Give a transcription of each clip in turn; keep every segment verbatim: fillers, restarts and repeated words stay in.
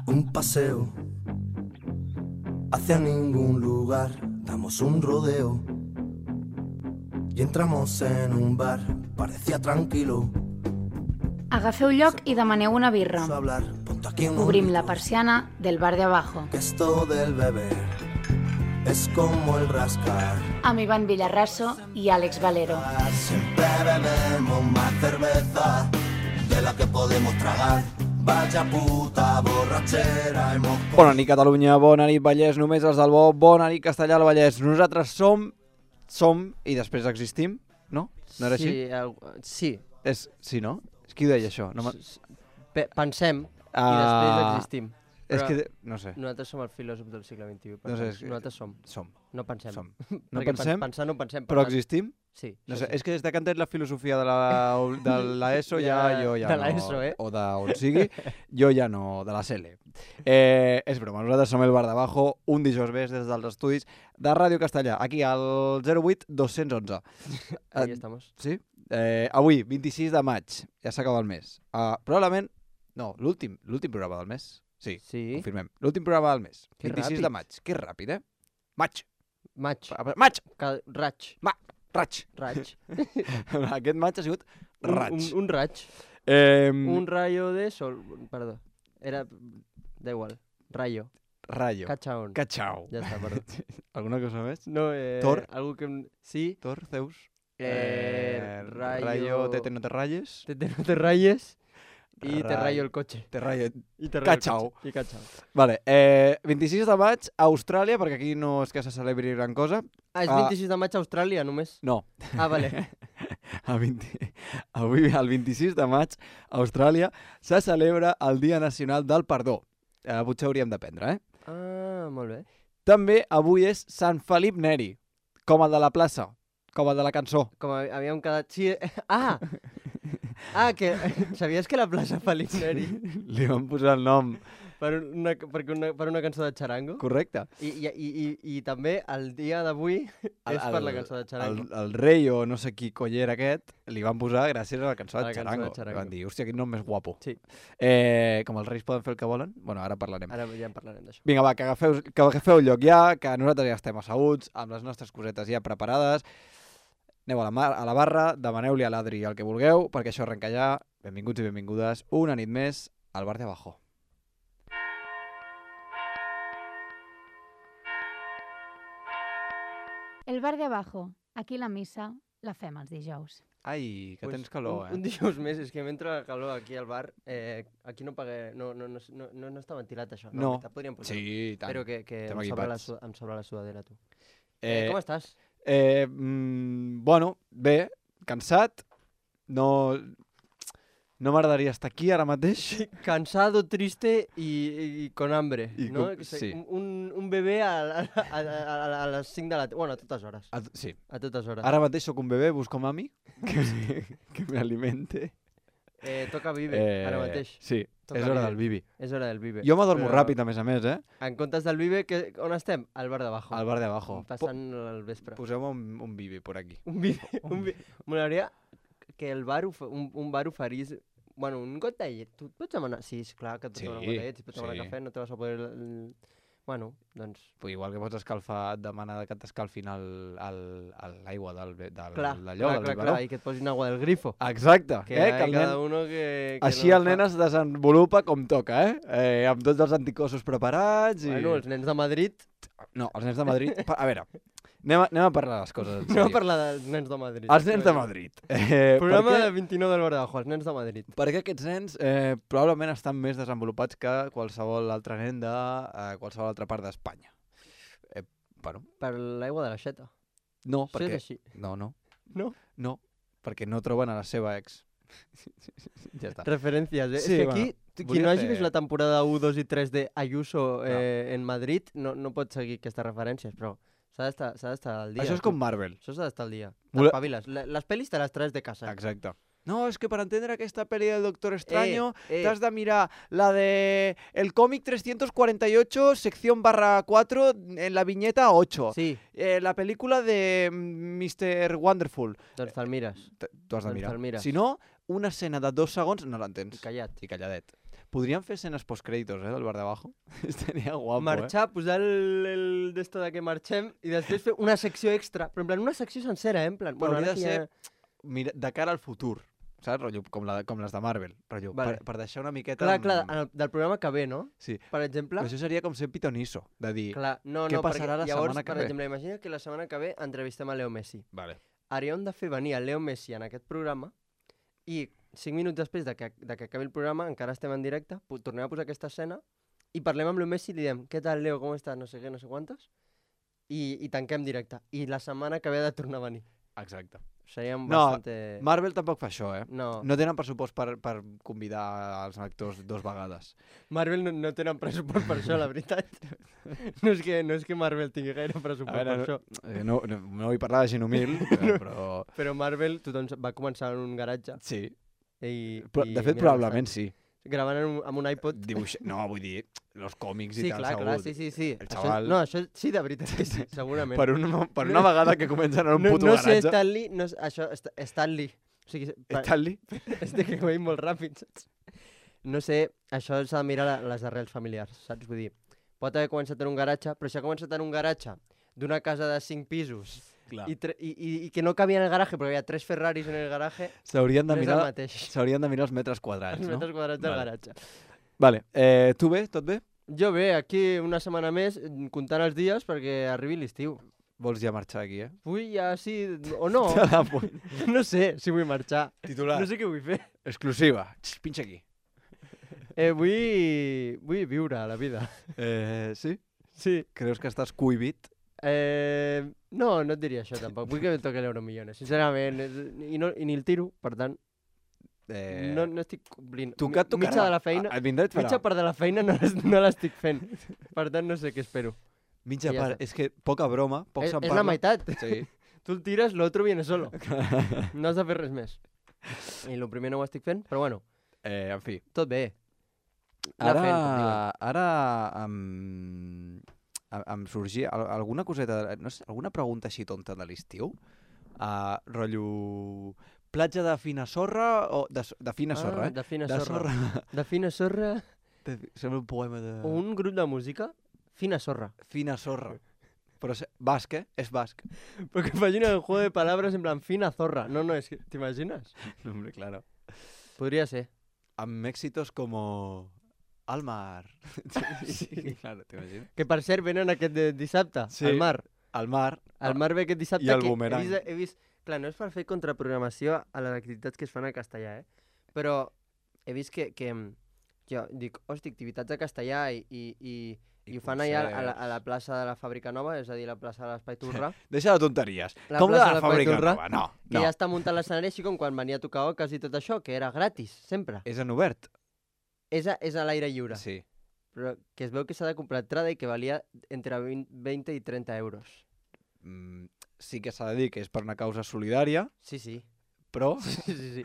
Un paseo hacia ningún lugar, damos un rodeo y entramos en un bar, parecía tranquilo. Agafeu lloc i demaneu una birra. Obrim la persiana del bar de abajo. Que esto del beber es como el rascar. Amb Ivan Villarraso i Àlex Valero. Siempre bebemos más cerveza de la que podemos tragar. Vaya puta borratxera hemos... Bona nit, Catalunya, bona nit, Vallès, només els del bo, bona nit, Castellà al Vallès. Nosaltres som, som i després existim, no? No era sí, així? El, sí. És, sí, no? És qui ho deia, això? No Pe pensem uh, i després existim. És que, no sé. Nosaltres som el filòsof del segle vint-i-u. No sé, és que... Nosaltres som. Som. No pensem. Som. No Perquè pensem, pensar no pensem. però existim? Sí. No sé, sí. És que des que han tret la filosofia de la, de l'ESO ja, jo ja de no... De l'ESO, eh? O d'on sigui, jo ja no... De la C L. Eh, és broma, nosaltres som el Bar d'Abajo, un dijous més des dels estudis de Ràdio Castellà, aquí al zero vuit dos cents onze. Aquí estamos. Sí? Eh, avui, vint-i-sis de maig, ja s'acaba el mes. Uh, probablement, no, l'últim l'últim programa del mes. Sí, sí. Confirmem. L'últim programa del mes. Que vint-i-sis ràpid. de maig. Que ràpid, eh? Maig. Maig. Maig. Cal... Raig. Ma... Raig. Raig. Aquest maig ha sigut raig. Un, un, un raig. Eh... Un rayo de sol... Perdó. Era... Da igual. Rayo. Rayo. Cachaón. Cachao. Ja està, perdó. Alguna cosa més? No, eh... Thor? Algo que... Sí. Thor, Zeus. Eh... eh rayo... Rayo, tete no te rayes. Tete no te rayes. I Ray. te rayo el cotxe. Te rayo... I te rayo Cachao. el cotxe. I cachao. Vale, eh, vint-i-sis de maig a Austràlia, perquè aquí no és que se celebri gran cosa. Ah, és vint-i-sis de maig a Austràlia, només? No. Ah, vale. a vint... Avui, el vint-i-sis de maig, a Austràlia, se celebra el Dia Nacional del Perdó. Eh, potser hauríem d'aprendre, eh? Ah, molt bé. També avui és Sant Felip Neri, com el de la plaça, com el de la cançó. Com havíem quedat... Sí, ah! Ah, que sabies que la plaça Felip Neri... Li van posar el nom. Per una, per una, per una cançó de Charango. Correcte. I, i, i, i, i també el dia d'avui és per la cançó de Charango. El, el rei o no sé qui coller aquest li van posar gràcies a la cançó de Charango. Charango. Van dir, hòstia, quin nom més guapo. Sí. Eh, com els reis poden fer el que volen, bueno, ara parlarem. Ara ja en parlarem d'això. Vinga, va, que agafeu, que agafeu lloc ja, que nosaltres ja estem asseguts, amb les nostres cosetes ja preparades. Aneu a la, mar, a la barra, demaneu-li a l'Adri el que vulgueu, perquè això arrenca ja. Benvinguts i benvingudes una nit més al Bar de Abajo. El Bar de Abajo. Aquí la missa la fem els dijous. Ai, que pues tens calor, un, eh? Un dijous més, és que m'entra calor aquí al bar. Eh, aquí no pagué, no, no, no, no, no està ventilat això. No, no. Podríem posar. Sí, tant. Però que, que em, sobra la, em sobra la sudadera, tu. Eh, eh, com estàs? Eh, mm, bueno, bé, cansat. No... No m'agradaria estar aquí ara mateix. Cansado, triste i, i con hambre, I no? com, sí. Un, un bebè a, a, a, a, a les cinc de la tarda. Bueno, a totes hores. A, sí. A totes hores. Ara mateix sóc un bebè, busco mami, que, que m'alimente. Eh, toca Vive, eh, ara mateix. Sí, toca és hora vive. del Vivi. És hora del Vive. Jo m'adormo Però... ràpid, a més a més, eh? En comptes del Vive, que, on estem? Al Bar d'Abajo. Al Bar d'Abajo. Passant po el vespre. Poseu-me un, un Vivi por aquí. Un Vivi. Un vi... M'agradaria que el bar, un, un bar oferís... Bueno, un gotellet. Tu pots demanar... Sí, és clar que et pots sí, demanar un gotellet. Si pots demanar sí. cafè, no te vas a poder... Bueno, doncs... Pues igual que pots escalfar, demanar que t'escalfin l'aigua del, del, clar, d'allò, clar, del clar, clar, i que et posin agua del grifo. Exacte. Que eh, que el cada nen... uno que, que Així no el nen fa... es desenvolupa com toca, eh? eh? Amb tots els anticossos preparats i... Bueno, els nens de Madrid... No, els nens de Madrid... A veure... Anem a, anem a parlar de les coses. Anem a parlar dels nens de Madrid. Els nens de Madrid. Eh, Programa perquè, de vint-i-nou del Bar d'Abajo, els nens de Madrid. Perquè aquests nens eh, probablement estan més desenvolupats que qualsevol altre nen de eh, qualsevol altra part d'Espanya. Eh, bueno. Per l'aigua de l'aixeta. No, Això perquè... és així. No, no. No? No, perquè no troben a la seva ex. Ja està. Referències, eh? Sí, és que aquí, bueno, qui no hagi fer... vist la temporada u, dos i tres de Ayuso eh, no. en Madrid, no, no pot seguir aquestes referències, però... S'ha d'estar al dia. Això és com Marvel. Això s'ha d'estar al dia. Vole... T'espaviles. Les pel·lis te les traes de casa. Exacte. No, es que para entender aquesta pel·li del Doctor Extraño eh, eh. t'has de mirar la de el cómic trescientos cuarenta y ocho, sección barra cuatro, en la viñeta ocho. Sí. Eh, la pel·lícula de mister Wonderful. Doncs te'l mires. Tu has de doncs mirar. Mires. Si no, una escena de dos segons no l'entens. I callat. I calladet. Podríem fer escenes postcrèditos, eh, del bar de abajo. Estaria guapo, Marxar, posar el, el d'esto de que marxem i després fer una secció extra. Però en plan, una secció sencera, eh? En plan, eh? bueno, Hauria ara de que ser ja... mira, de cara al futur, saps? Rotllo, com, la, com les de Marvel. Rotllo, Vale. per, per deixar una miqueta... Clar, amb- clar, en el, del programa que ve, no? Sí. Per exemple... Però això seria com ser pitonisso, de dir... Clar, no, què no, passarà perquè la llavors, setmana que per ve? exemple, imagina que la setmana que ve entrevistem a Leo Messi. Vale. Hauríem de fer venir a Leo Messi en aquest programa i cinc minuts després de que, de que acabi el programa, encara estem en directe, pu- tornem a posar aquesta escena i parlem amb Leo Messi i li diem què tal, Leo, com estàs, no sé què, no sé quantes, i, i tanquem directe. I la setmana que ve ha de tornar a venir. Exacte. Seríem No, bastante... Marvel tampoc fa això, eh? No, No tenen pressupost per, per convidar els actors dos vegades. Marvel no, no tenen pressupost per això, la veritat. No és que, no és que Marvel tingui gaire pressupost A veure, per no- això. Eh, no, no, no vull parlar de gent humil, eh, però... Però Marvel, tothom va començar en un garatge. Sí. I, Però, i de fet, mira on probablement estan. sí. Gravant en un, amb un iPod. Dibuix... No, vull dir, els còmics Sí, i tal, clar, segur. clar, sí, sí, sí. El Això, xaval- no, això sí, de veritat que sí, segurament. Per una, per una vegada que comencen en un no, puto no sé, garatge... Stanley, no, sé, això, Sta- Stanley. O sigui, pa- Stanley? és de que veiem molt ràpid, saps? No sé, això s'ha de mirar la- les arrels familiars, saps? Vull dir, pot haver començat en un garatge, però si ha començat en un garatge d'una casa de cinc pisos Clar. i, tre- i, i, i que no cabia en el garaje perquè hi havia tres Ferraris en el garaje, S'haurien de, no és el mirar, mateix. s'haurien de mirar els metres quadrats, Els no? metres quadrats del Vale. garatge. Vale, eh, tu bé? Tot bé? Jo bé, aquí una setmana més, mm, comptant els dies perquè arribi l'estiu. Vols ja marxar aquí, eh? Vull ja sí o no, Te la pu- no sé si vull marxar. Titular. No sé què vull fer. Exclusiva. Xx, pinxa aquí. Eh, vull, vull viure la vida. Eh, sí? Sí. Creus que estàs cuibit? Eh, no, no et diria això tampoc. Vull que em toqui l'Euromillones, sincerament. és- I, no, I ni el tiro, per tant, Eh, no, no estic complint. tu que et tocarà. Mitja de la feina, Et vindrà i et farà. mitja part de la feina no, l'es- no l'estic fent. Per tant, no sé què espero. Mitja I ja part. està. És que poca broma, poc És, se'n és parla. la meitat. Sí. Tu el tires, l'altre viene solo. No has de fer res més. I el primer no ho estic fent, però bueno, Eh, en fi. tot bé. Anar Ara, fent, com diuen. ara em, em, em sorgia al- alguna coseta, no sé, alguna pregunta així tonta de l'estiu. Uh, rotllo... Platja de fina sorra o... De, so- de fina sorra, Ah, eh? de fina De sorra. sorra. De fina sorra. De, sembla un poema de... O un grup de música, fina sorra. Fina sorra. Però és basc, eh? És basc. Porque imagina el juego de palabras en plan fina zorra. No, no, es que, ¿te imaginas? No, hombre, claro. Podría ser. Amb éxitos como... Al mar. Sí, claro, t'imagines? Que per cert venen aquest de dissabte, Sí. al mar. Al mar. Al mar ve aquest dissabte I el que Boomerang. he vist, he vist... Clar, no és per fer contraprogramació a les activitats que es fan a castellà, eh? Però he vist que, que mm, jo dic, hosti, activitats a castellà i, i, i, i ho fan allà a la, a la plaça de la Fàbrica Nova, és a dir, la plaça de l'Espai Torrà, Deixa de tonteries. La Com de plaça la de fàbrica Paiturra, nova? No, que no. ja està muntant l'escenari així com quan venia a tocar oques i tot això, que era gratis, sempre. És en obert. És a, és a l'aire lliure. Sí. Però que es veu que s'ha de comprar entrada i que valia entre vint, vint i trenta euros. Mm, sí que s'ha de dir que és per una causa solidària, Sí, sí. però... Sí, sí, sí.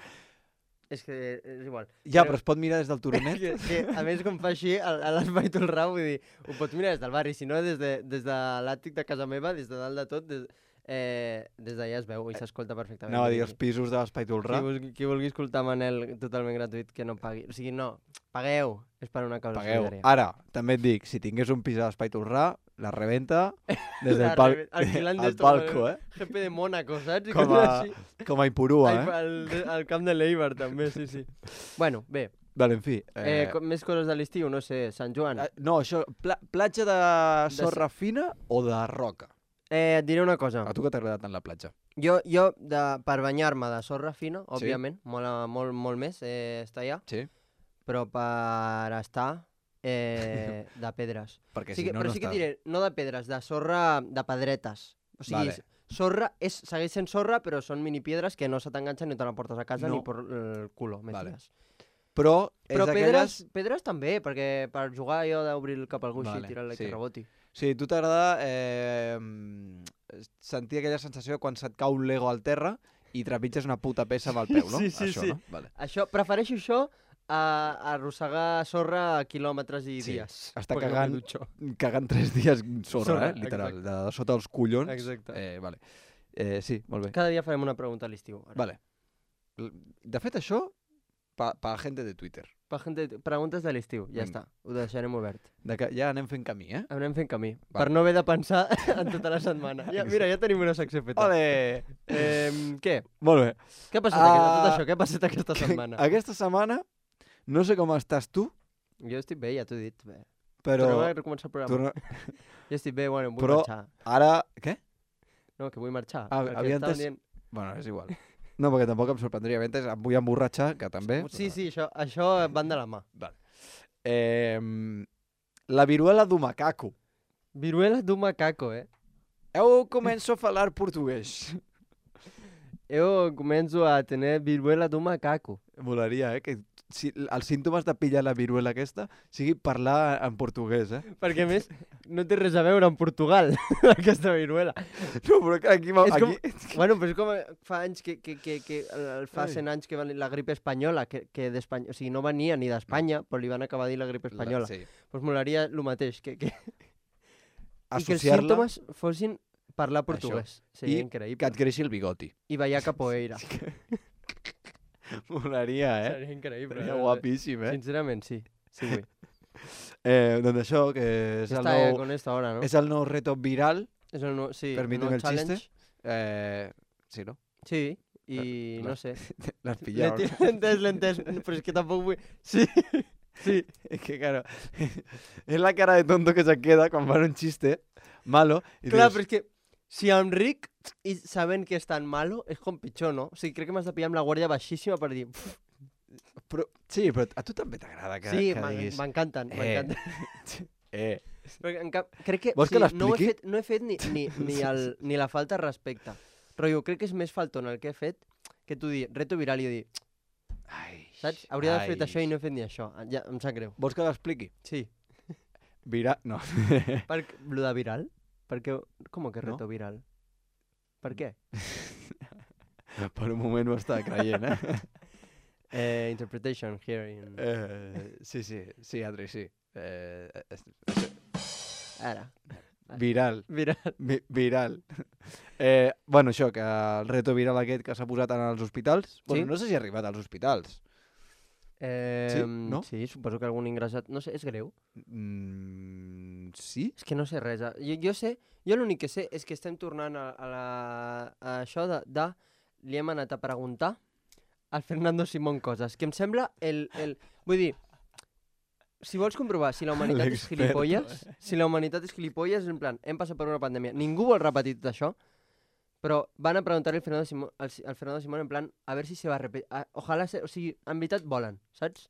És que és igual. Ja, Però- però es pot mirar des del turonet. que, que, a més, com fa així, a, a l'Espai Tolrà, vull dir, ho pots mirar des del barri, si no, des de, des de l'àtic de casa meva, des de dalt de tot, des, eh, des d'allà es veu i s'escolta perfectament. Anava a Vull dir els pisos de l'Espai Tolrà. Qui vulgui, qui vulgui escoltar Manel totalment gratuït, que no pagui. O sigui, no, pagueu, és per una causa Pagueu. solidària. Ara, també et dic, si tingués un pis a l'Espai Tolrà, la reventa des La del pal... reve- alquilant al d'esto, palco, eh? G P de Mónaco, saps? I Com coses a, així. com a Ipurua, Ai, eh? al, al camp de l'Eibar, també, sí, sí. Bueno, bé, Vale, en fi. eh, com, més coses de l'estiu, no sé, Sant Joan. eh, no, això, pla platja de sorra fina o de roca? Eh, et diré una cosa. A tu que t'agrada tant la platja? Jo, jo de, per banyar-me de sorra fina, Sí. òbviament, mola molt, molt més eh, estar allà, Sí. però per estar eh, de pedres. Perquè Sí si que, no, però no sí que estàs... diré, no de pedres, de sorra de pedretes. O sigui, Vale. vale. sorra és, segueix sent sorra, però són minipiedres que no se t'enganxen ni te la portes a casa No. ni por el culo, me Vale. tires. Però, Però és pedres, d'aquelles... pedres també, perquè per jugar jo d'obrir el cap a algú Vale, així i tirar-li sí. que reboti. Sí, a tu t'agrada eh, mm, sentir aquella sensació quan se't cau un Lego al terra i trepitges una puta peça amb el peu, no? Sí, sí, Això, sí. no? Vale. Això, prefereixo això a, a arrossegar sorra quilòmetres i Sí, dies. està perquè no cagant. me dutxo. Cagant tres dies sorra, Sorra, eh? Literal, exacte. de sota els collons. Exacte. Eh, vale. Eh, sí, molt bé. Cada dia farem una pregunta a l'estiu. ara. Vale. L- De fet, això pa, pa gente de Twitter. Pa gente, preguntes de l'estiu, ja Vinga. està. Ho deixarem obert. De que ja anem fent camí, eh? Anem fent camí. Va. Per no haver de pensar en tota la setmana. Ja, mira, ja tenim una secció feta. Ole! Eh, què? Molt bé. Què ha passat, Ah, uh, tot això? Què ha passat aquesta setmana? Aquesta setmana, no sé com estàs tu, Jo estic bé, ja t'ho he dit. Bé. però... Tornem a recomençar el programa. Torna... Jo estic bé, bueno, vull Però- marxar. Ara... Què? No, que vull marxar. Ah, perquè havia estàvem entès- dient- Bueno, és igual. No, perquè tampoc em sorprendria. Ventes, em vull emborratxar, que també. Sí, sí, això, això van de la mà. Vale. Eh, la viruela do macaco. Viruela d'un macaco, eh? Eu començo a falar portuguès. Jo començo a tenir viruela d'un macaco. Molaria, eh? Que si, els símptomes de pillar la viruela aquesta sigui parlar en portuguès, eh? Perquè, a més, no té res a veure amb Portugal, aquesta viruela. No, però que aquí... És com- aquí... Bueno, però és com fa anys que, que, que, que el- fa Ai. cent anys que va la grip espanyola, que, que d'Espanya, o sigui, no venia ni d'Espanya, però li van acabar a dir la grip espanyola. Sí. Doncs pues molaria el mateix, que, que... i que els Associar-la símptomes fossin parlar portuguès. Seria I increïble. que et creixi el bigoti. I ballar capoeira. Molaria, eh? Seria increïble. Seria eh? guapíssim, eh? Sincerament, sí. Sí, vull. eh doncs això, que és el, Està eh, nou, con esta hora, ¿no? és el nou reto viral. És el nou, sí, Permíteme nou el chiste. challenge. Eh, sí, no? Sí, i La- no sé. L'has L'he pillat. ti- L'he entès, l'he entès, però és que tampoc vull... Sí, sí. Es que claro, es la cara de tonto que se queda quan fan un chiste malo. I Clar, dius, però és que si em ric i sabent que és tan malo, és com pitjor, no? O sigui, crec que m'has de pillar amb la guàrdia baixíssima per dir... "Pff, però, sí, però a tu també t'agrada que, sí, que m'en- diguis... m'encanten, Eh. m'encanten. Eh, Perquè en cap, crec que, Vols o que sigui, no, ho he l'expliqui? fet, no he fet ni, ni, ni, el, ni la falta de respecte. Però jo crec que és més faltón el que he fet que tu dir, reto viral i jo dir, ai, saps? Hauria d'haver fet ai. això i no he fet ni això. Ja, em sap greu. Vols que l'expliqui? Sí. Vira... No. Per, lo de viral? Perquè, com que No? reto viral? Per què? per un moment ho estava creient, eh? Eh, interpretation here in... eh sí, sí, sí, Adri, sí. Eh, es- Ara. viral. Viral. Vi viral. Eh, bueno, això, que el reto viral aquest que s'ha posat en els hospitals... Bueno, Sí. no sé si ha arribat als hospitals. Eh, no? Sí, suposo que algun ingressat... No sé, és greu. Mm, sí? És que no sé res. eh. Jo, jo sé, jo l'únic que sé és que estem tornant a, a, la, a això de, de... Li hem anat a preguntar al Fernando Simón coses, que em sembla el... el vull dir, si vols comprovar si la humanitat és L'experto, gilipolles, si la humanitat és gilipolles, en plan, hem passat per una pandèmia, ningú vol repetir tot això, però van a preguntar-li al Fernando Simón, al, al Fernando Simón en plan, a ver si se va a repetir, a, ojalá, se, o sigui, en veritat volen, saps?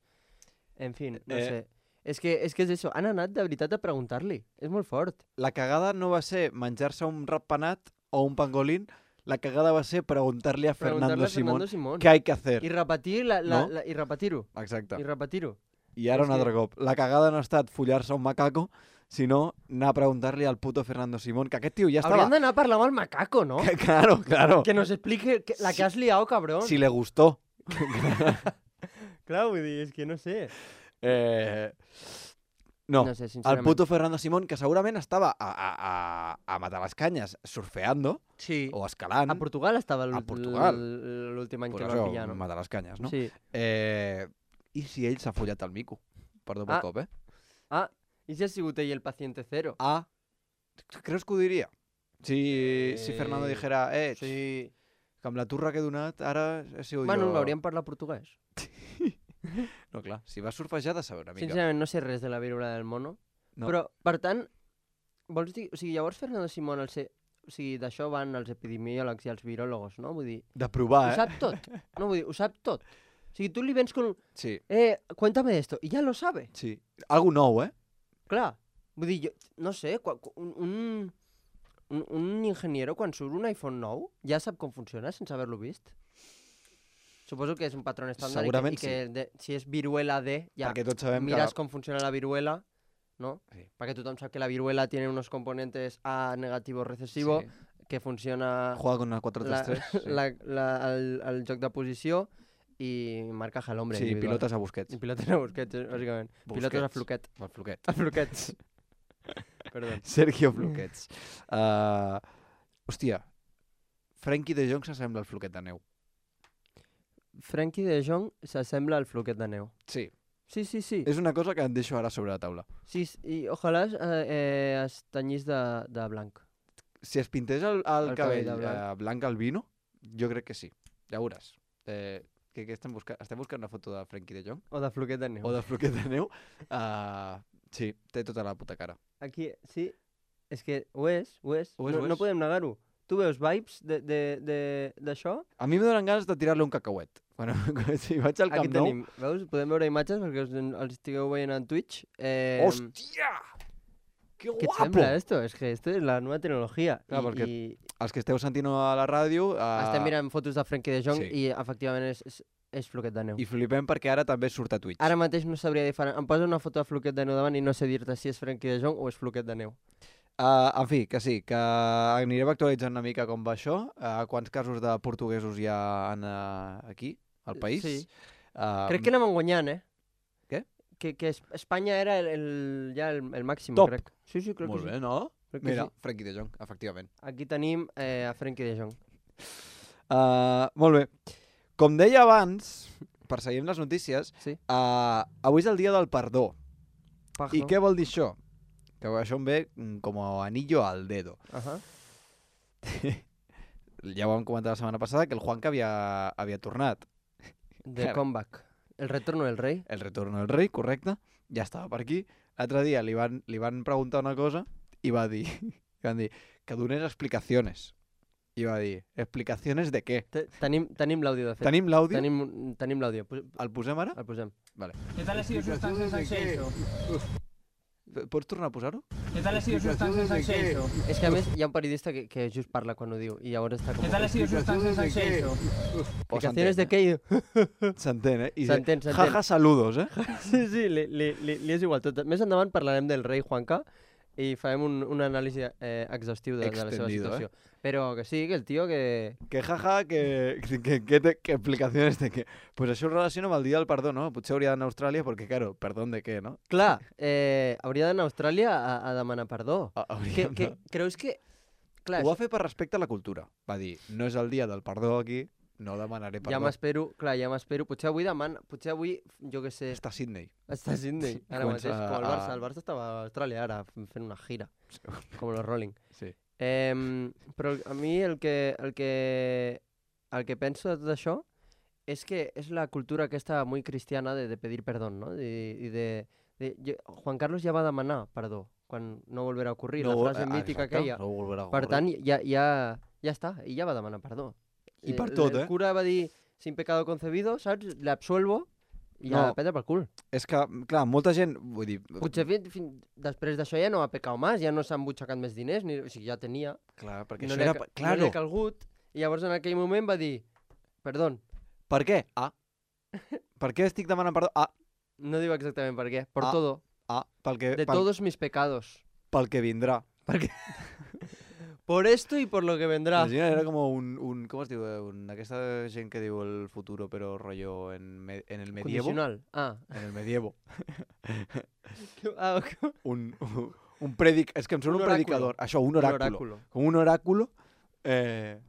En fin, no Eh. sé. És que, és que és això, han anat de veritat a preguntar-li, és molt fort. La cagada no va ser menjar-se un ratpenat o un pangolín, la cagada va ser preguntar-li a Fernando Preguntar-li a Simón Fernando Simón. què hay que hacer. I repetir la, la, No? la, i repetir-ho, Exacte. i repetir-ho. I ara és un altre que- cop. La cagada no ha estat follar-se un macaco, sinó anar a preguntar-li al puto Fernando Simón, que aquest tio ja estava... Hauríem d'anar a parlar amb el macaco, no? Claro, claro. Que nos explique que, la que has liado, cabrón. Si le gustó. Clar, vull dir, és que no sé. Eh... No, No sé, el sincerament. puto Fernando Simón, que segurament estava a, a, a, a matar les canyes surfeando Sí. o escalant. A Portugal estava A l'últim Portugal. l'últim any pues que el això, van pillar, no? matar les canyes, no? Sí. Eh... I si ell s'ha follat el mico? Perdó pel Ah. cop, eh? Ah, i si ha sigut ell el paciente cero? Ah, creus que ho diria? Si, si Eh, Fernando dijera, eh, Sí. que amb la turra que he donat ara he sigut Bueno, jo... l'hauríem parlat portuguès. No, clar, si va surfejar ha de saber una mica. Sincerament, no sé res de la viruela del mono. No. Però, per tant, vols dir... O sigui, llavors Fernando Simón, el ser... O sigui, d'això van els epidemiòlegs i els viròlegos, no? Vull dir, De provar, ho eh? sap tot. No, vull dir, ho sap tot. O sigui, tu li vens con... un, Sí, Eh, cuéntame esto. I ja lo sabe. sí. Algo nou, eh? Clar. Vull dir, jo, no sé, quan, un, un, un, un ingeniero quan surt un iPhone nou ja sap com funciona sense haver-lo vist. Suposo que és un patró estàndard Segurament i que, i que de, si és viruela D, ja Perquè tots sabem miras que... com funciona la viruela, ¿no? Sí. Perquè tothom sap que la viruela tiene unos componentes A negativo recesivo, Sí. que funciona Juega con una cuatro la, tres tres. Sí, la, la, el, el joc de posició i marcaje al hombre. sí individual. pilotes a Busquets. I pilotes a Busquets, bàsicament. Pilotes a Busquets. Floquet. El Floquet. A Floquets. Perdó. Sergio Floquets. Uh, hòstia, Frenkie de Jong s'assembla al Floquet de neu. Frenkie de Jong s'assembla al floquet de neu. Sí. Sí, sí, sí. És una cosa que et deixo ara sobre la taula. Sí, i ojalà eh, eh, es tenyís de, de blanc. Si es pintés el, el, El cabell, cabell de blanc. eh, blanc albino, jo crec que sí. Ja veuràs. Eh, que, que estem, buscant, estem buscant una foto de Frenkie de Jong? O de floquet de neu. O de floquet de neu? Uh, sí, té tota la puta cara. Aquí, sí, és que ho és, ho és. Ho és, no, ho és. no podem negar-ho. Tu veus vibes d'això? A mi me donen ganes de tirar-li un cacauet. Bueno, si vaig al Camp Aquí Nou... tenim, veus? Podem veure imatges perquè us, els estigueu veient en Twitch. Eh, Hòstia! Que ¿Qué te guapo! sembla esto? Es que esto es la nueva tecnología. Clar, I, perquè i Els que esteu sentint a la ràdio... Uh, estem mirant fotos de Frenkie de Jong sí. i efectivament és, és, és floquet de neu. I flipem perquè ara també surt a Twitch. Ara mateix no sabria diferenciar. Em posa una foto de floquet de neu davant i no sé dir-te si és Frenkie de Jong o és floquet de neu. Uh, en fi, que sí, que anirem actualitzant una mica com va això, uh, quants casos de portuguesos hi ha en, uh, aquí, al país. Sí. Uh, Crec que anem guanyant, eh? Què? Que, que Es- Espanya era el, el, ja el, el màxim, Top. crec. Sí, sí, crec Molt que bé, sí. no? Crec que Mira, sí. Frenkie de Jong, efectivament. Aquí tenim eh, a Frenkie de Jong. Uh, molt bé. Com deia abans, per seguir amb les notícies, Sí. uh, avui és el dia del perdó. Pajo. I què vol dir això? Que això em ve mm, com a anillo al dedo. Ajá. Ja ho vam comentar la setmana passada, que el Juanca havia, havia tornat. The Claro. comeback. El retorno del rei. El retorno del rei, correcte. Ja estava per aquí. L'altre dia li van, li van preguntar una cosa i va dir, i van dir que donés explicacions. I va dir, explicacions de què? Te- Tenim, tenim l'àudio, de fet. Tenim l'àudio? Tenim, tenim l'àudio. Pos- El posem ara? El posem. Vale. ¿Qué tal ha sido su estancia en San Xenxo? Pots tornar a posar-ho? ¿Qué tal ha sido su estancia en San Xenxo? És que a més hi ha un periodista que, que just parla quan ho diu i llavors està com... ¿Qué tal ha sido su estancia en San Xenxo? Explicaciones de què? S'entén, eh? I de- S'entén, s'entén. Jaja, saludos, eh? Sí, sí, li, li, li, li és igual tot. Més endavant parlarem del rei Juanca i farem un, un anàlisi eh, exhaustiu de, de la seva Extendido, situació. Però que sí, que el tio que... Que jaja, que, que, que, te- que explicaciones de què? Pues això ho relaciono amb el dia del perdó, no? Potser hauria d'anar a Austràlia perquè, claro, perdón de què, no? Clar, eh, hauria d'anar a Austràlia a, a demanar perdó. Ha- Que, hauríem que, de- creus que... Clar, Ho va fer per respecte a la cultura. Va dir, no és el dia del perdó aquí, no demanaré perdó. ja m'espero, clar, ja m'espero. Potser avui demana, potser avui, jo què sé, Està a Sydney. està a Sydney, ara Comença mateix, com el a- Barça. El Barça estava a Austràlia ara, fent una gira, com los Rolling. Sí. Eh, però a mi el que, el que, el que penso de tot això és que és la cultura aquesta muy cristiana de, de pedir perdón, ¿no? I, i de, de, jo, Juan Carlos ja va demanar perdó quan no volverà a ocurrir, la vol- frase ah, mítica exacte, aquella. No volverà a Per ocórrer. tant, ja, ja, ja està, i ja va demanar perdó. I per El- tot, el eh? cura va dir, sin pecado concebido, saps? L'absuelvo i ja No. no. prendre pel cul. És que, clar, molta gent... Vull dir, Potser fin, fin, després d'això ja no ha pecat més, ja no s'ha embutxacat més diners, ni, o sigui, ja tenia. clar, perquè no això li ha era... ca- Claro. No li ha calgut, i llavors en aquell moment va dir, perdó, Per què? Ah. Per què estic demanant perdó? Ah, no diu exactament per què, por Ah, todo, ah, pel que, de pel, todos mis pecados. pel que vindrà. Por esto y por lo que vendrá. Imagina, era com un, un... Com es diu? eh, Un, aquesta gent que diu el futuro, però rotllo en, me, en el medievo. Condicional. Ah, En el medievo. ah ok. un, un, un predic... És que em sona Un un, oráculo. predicador. Això, un Un oráculo. oráculo. Com un oráculo. Eh,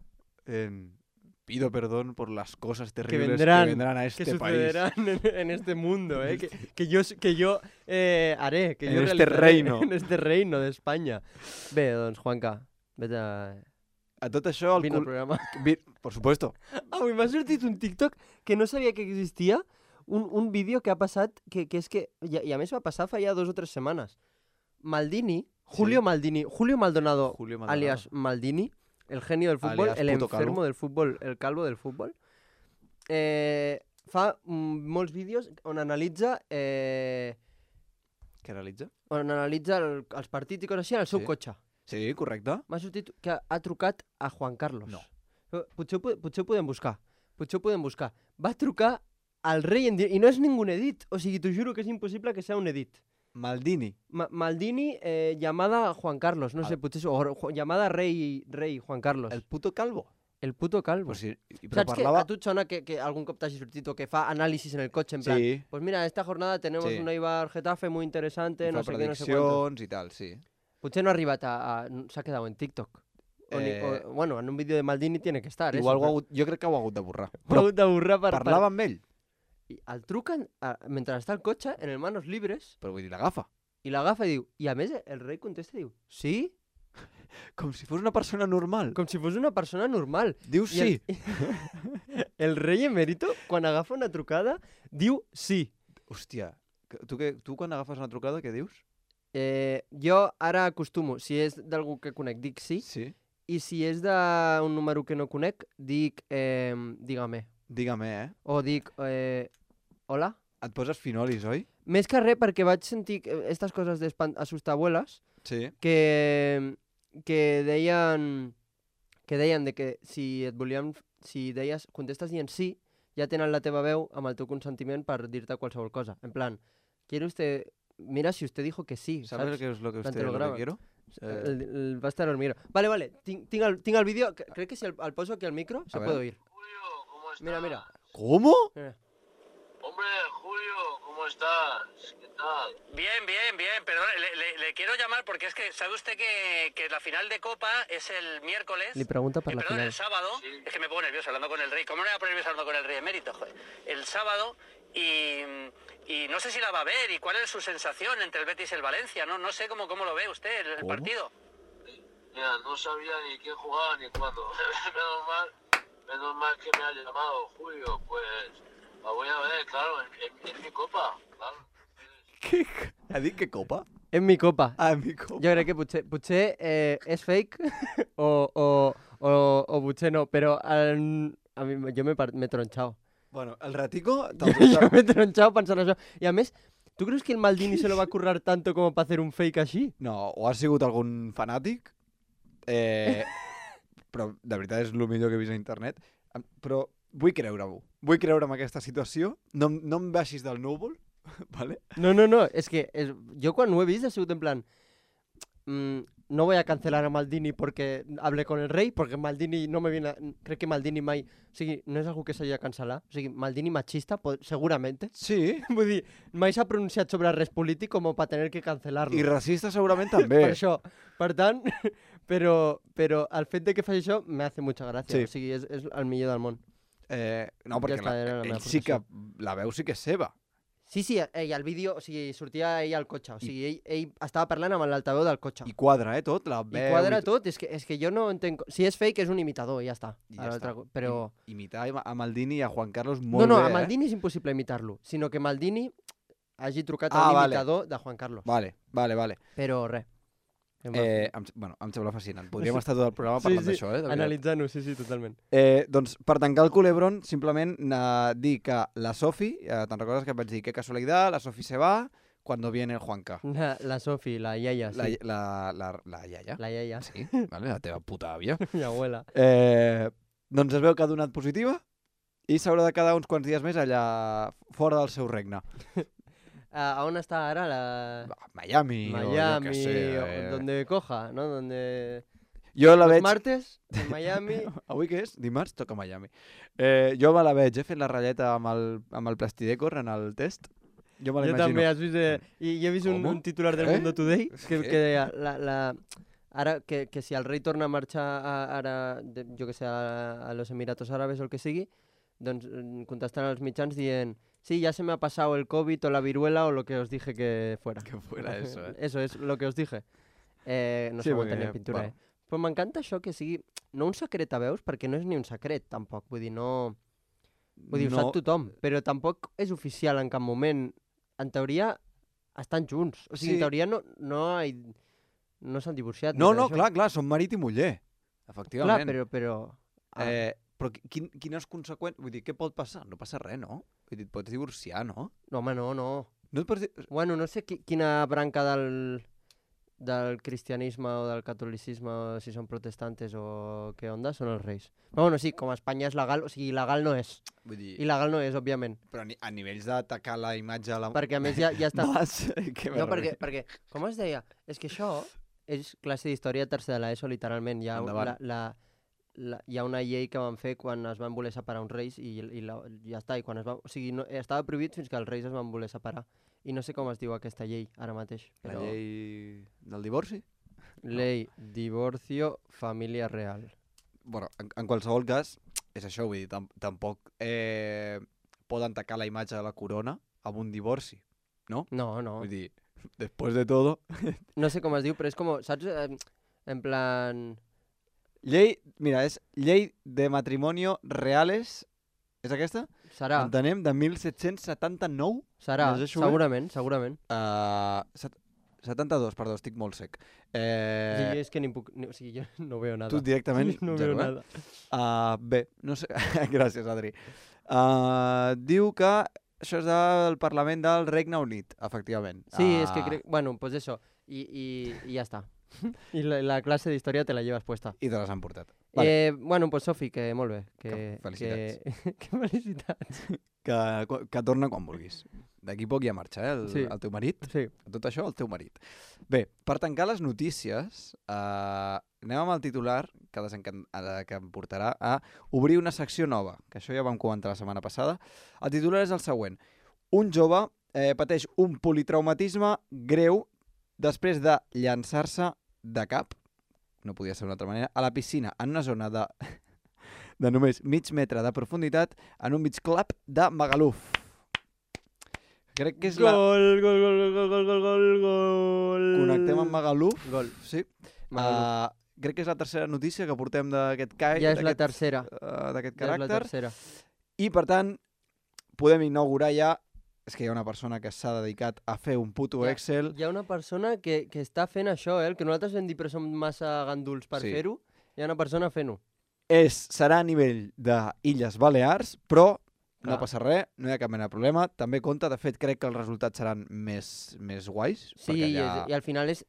en- pido perdón por las cosas terribles que vendrán, vendrán, a Que este país. sucederán en, en este mundo, eh? que, que yo, que yo eh, haré. Que En yo este realizaré reino. En este reino d'Espanya. Bé, doncs, Juanca, vete a... A tot això... El Vine al cul... programa. Vi... Por supuesto. Avui m'ha sortit un TikTok que no sabia que existia, un, un vídeo que ha passat, que, que és que, i, i a més va passar fa ja dos o tres setmanes. Maldini, Julio Sí. Maldini, Julio Maldonado, Julio Maldonado. alias Maldini, el genio del fútbol, Alias el puto enfermo calvo. del fútbol, el calvo del fútbol, eh, fa mm, molts vídeos on analitza eh, Què realitza? on analitza el, els partits i coses així en el seu Sí. cotxe. Sí, correcte. M'ha sortit que ha trucat a Juan Carlos. No. Eh, Potser, ho po- potser ho podem buscar. Potser ho podem buscar. Va trucar al rei en directe. I no és ningú edit. O sigui, t'ho juro que és impossible que sea un edit. Maldini. Ma Maldini, eh, llamada a Juan Carlos. No Al- sé, potser... és- O, Ju- llamada rei, rei Juan Carlos. El El, puto calvo. el puto calvo. Pues sí, i- però Saps que parlava... a tu et sona que, que algun cop t'hagi sortit o que fa anàlisis en el cotxe en plan... Sí, Pues mira, esta jornada tenemos Sí. un Eibar Getafe muy interesante, fa no sé què, no sé quantos. prediccions i tal, sí. Potser no ha arribat a... a s'ha quedat en TikTok. O, ni, Eh, o, bueno, en un vídeo de Maldini tiene que estar, Igual eso. ho ha hagut, jo crec que ho ha hagut de borrar. Però, ho ha hagut de borrar per... Parlava amb ell, Per... I el truquen a, mentre està al cotxe, en el manos libres, però vull dir, l'agafa. i l'agafa i diu... I a més, el rei contesta i diu... Sí? Com si fos una persona normal. Com si fos una persona normal. Diu I sí. El, el rei emèrito, quan agafa una trucada, diu sí. Hòstia, que- tu, que, tu quan agafes una trucada, què dius? Eh, jo ara acostumo, si és d'algú que conec, dic sí, Sí. i si és d'un número que no conec, dic eh, dígame. Dígame, eh? O dic eh, hola. Et poses finolis, oi? Més que res perquè vaig sentir aquestes coses d'assustabuelas Sí. que, que deien que deien de que si et volien, si deies, contestes dient sí, ja tenen la teva veu amb el teu consentiment per dir-te qualsevol cosa. En plan, quiere usted, mira si usted dijo que sí, ¿Sabes saps? qué es lo que Plan, usted te lo lo que graba. quiero? Eh, El, el, va a estar el micro. Vale, vale, tinc, tinc, el, tinc el vídeo, cre- crec que si el, el poso aquí al micro se ver. puede oír. Julio, ¿cómo estás? Mira, mira. ¿Cómo? mira. Hombre, Julio, ¿cómo estás? ¿Qué tal? Bien, bien, bien. Perdón, le, le- le quiero llamar porque es que sabe usted que, que la final de Copa es el miércoles. Li pregunta per Eh, la perdón, final. el sábado. Sí. Es que me pongo nervioso hablando con el rey. ¿Cómo no me voy a poner nervioso hablando con el rey emérito? Joder. El sábado y, y no sé si la va a ver y cuál es su sensación entre el Betis y el Valencia. No, no sé cómo, cómo lo ve usted el, el ¿Cómo? partido. Mira, no sabía ni quién jugaba ni cuándo. menos mal, menos mal que me ha llamado Julio. Pues la voy a ver, claro, en, en- en mi copa, claro. Què? Ha dit que copa? En mi copa. Ah, mi copa. Jo crec que potser, potser eh, és fake o, o, o, o potser no, però el, a mi, jo m'he par- m'he tronxat. Bueno, el ratico... Jo, jo m'he tronxat pensant això. I a més, tu creus que el Maldini se lo va a currar tanto como para hacer un fake així? No, o ha sigut algun fanàtic, eh, però de veritat és el millor que he vist a internet. Em- Però vull creure-ho. Vull creure en aquesta situació. No, em- no em baixis del núvol, ¿vale? No, no, no, és que és, jo quan ho he vist ha sigut en plan... Mm, no voy a cancelar a Maldini porque hablé con el rey, porque Maldini no me viene... A, crec que Maldini mai... O sigui, no és algú que s'hagi de cancel·lar. O sigui, Maldini machista, po- seguramente. Sí, Vull dir, mai s'ha pronunciat sobre res polític com per tener que cancelar-lo. i racista segurament també. Per això. Per tant, però, però el fet de que faci això me hace mucha gràcia. Sí. O sigui, és, és el millor del món. Eh, no, perquè Ja està, la, era la meva ell sí que... aportació. La veu sí que és seva. Sí, sí, ell al vídeo, o sigui, sortia ell al cotxe. O sigui, ell, ell estava parlant amb l'altaveu del cotxe. I quadra, eh, tot. La I veu... quadra i tot, és que, és que jo no entenc... Si és fake, és un imitador, i ja està. I A ja l'altre està. co- Però... I- Imitar a Maldini i a Juan Carlos No, molt no, bé, a Maldini és impossible imitar-lo, sinó que Maldini hagi trucat a Ah, un vale. imitador de Juan Carlos. eh? Vale, vale, vale. Però res. Eh, em, bueno, em sembla fascinant. Podríem estar tot el programa Sí, parlant sí, d'això, eh? de veritat. Analitzant-ho, sí, sí, totalment. Eh, doncs, per tancar el culebron, simplement eh, dir que la Sofi, eh, te'n recordes que et vaig dir que casualitat, la Sofi se va cuando viene el Juanca. La, la Sofi, la iaia, sí. La, la, la, la iaia. La iaia, Sí, vale, la teva puta àvia. mi abuela. Eh, doncs es veu que ha donat positiva i s'haurà de quedar uns quants dies més allà fora del seu regne. ¿A, a on està ara? La... Miami, o jo Miami, què sé. o Eh. donde coja, ¿no? Donde... Jo la Los veig... martes, en Miami... Avui què és? Dimarts toca Miami. Eh, jo me la veig, he fet la ratlleta amb el, amb el plastidecor en el test. Jo me la Jo imagino. també, has vist... Eh, I jo he vist un, Com? un titular del Eh? Mundo Today que, Què? que deia... La, la, ara, que, que si el rei torna a marxar a, ara, de, jo que sé, a, a los Emiratos Árabes o el que sigui, doncs mm, contestant als mitjans dient sí, ya se me ha pasado el COVID o la viruela o lo que os dije que fuera. Que fuera eso, eh? Eso es lo que os dije. Eh, no Sí, sé perquè, aguantar ni en pintura, bueno. eh? Però m'encanta això que sigui... No un secret a veus, perquè no és ni un secret, tampoc. Vull dir, no... Vull dir, ho No- sap tothom, però tampoc és oficial en cap moment. En teoria, estan junts. O sigui, Sí. en teoria no, no, hi- no s'han divorciat. ni No, res no, d'això. clar, clar, són marit i muller. Clar, Efectivament. però... però ah, Eh, però qui- quin, quines conseqüències... Vull dir, què pot passar? No passa res, no? Vull dir, et pots divorciar, no? no, home, no, no. No et pots... di- Bueno, no sé qui, quina branca del, del cristianisme o del catolicisme, o si són protestantes o què onda, són els reis. Però bueno, sí, com a Espanya és legal, o sigui, il·legal no és. Vull dir, Il·legal no és, òbviament. però a ni- a nivells d'atacar la imatge a la... Perquè a més ja, ja està... Mas, que No, perquè, perquè, com es deia? És que això és classe d'història tercera de l'ESO, literalment. Hi ha, Endavant. la, la, la, hi ha una llei que van fer quan es van voler separar uns reis i, i la, ja està. I quan es va, o sigui, no, estava prohibit fins que els reis es van voler separar. I no sé com es diu aquesta llei ara mateix. La Però... llei del divorci? Ley, divorcio, família real. Bueno, en, en qualsevol cas, és això, vull dir, tam tampoc eh, poden tacar la imatge de la corona amb un divorci, no? No, no. Vull dir, després de todo... No sé com es diu, però és com, saps? Eh, en plan... Llei, mira, és Llei de Matrimonio Reales, és aquesta? Serà, Entenem, de mil set-cents setanta-nou? serà, llegeixo bé? segurament, segurament. Uh, set setanta-dos, perdó, estic molt sec. Eh, Sí, és que ni puc... Ni, o sigui, jo no veo nada. tu directament, no zero, veo eh? nada. Uh, bé, no sé... Gràcies, Adri. Uh, diu que això és del Parlament del Regne Unit, efectivament. Sí, Uh, es que crec... Bueno, pues eso. Y, y, y ya está. Y la, la clase de historia te la llevas puesta. I te les han portat. Vale. Eh, bueno, pues Sofi, que molt bé. Que, Que felicitats. Que, que felicitats. Que, que torna quan vulguis. D'aquí poc ja marxa, eh, el, Sí. el teu marit. Sí. Tot això, el teu marit. Bé, per tancar les notícies, eh, anem amb el titular que, desencan... eh, que em portarà a obrir una secció nova, que això ja vam comentar la setmana passada. El titular és el següent. Un jove eh, pateix un politraumatisme greu després de llançar-se de cap, no podia ser d'una altra manera, a la piscina en una zona de, de només mig metre de profunditat en un beach club de Magaluf. Crec que és la... Gol, gol, gol, gol, gol, gol, gol, gol. Connectem amb Magaluf. Gol. Sí. Magaluf. Uh, crec que és la tercera notícia que portem d'aquest cai, Ja és la d'aquest, tercera. uh, d'aquest Ja és la caràcter. tercera. I, per tant, podem inaugurar ja... És que hi ha una persona que s'ha dedicat a fer un puto Ja. Excel. Hi ha una persona que, que està fent això, eh? El que nosaltres vam dir però som massa ganduls per Sí. fer-ho. Hi ha una persona fent-ho. És, serà a nivell d'Illes Balears, però no Clar. passa res, no hi ha cap mena de problema. També compta, de fet, crec que els resultats seran més, més guais. Sí, perquè i, allà... és, i al final és...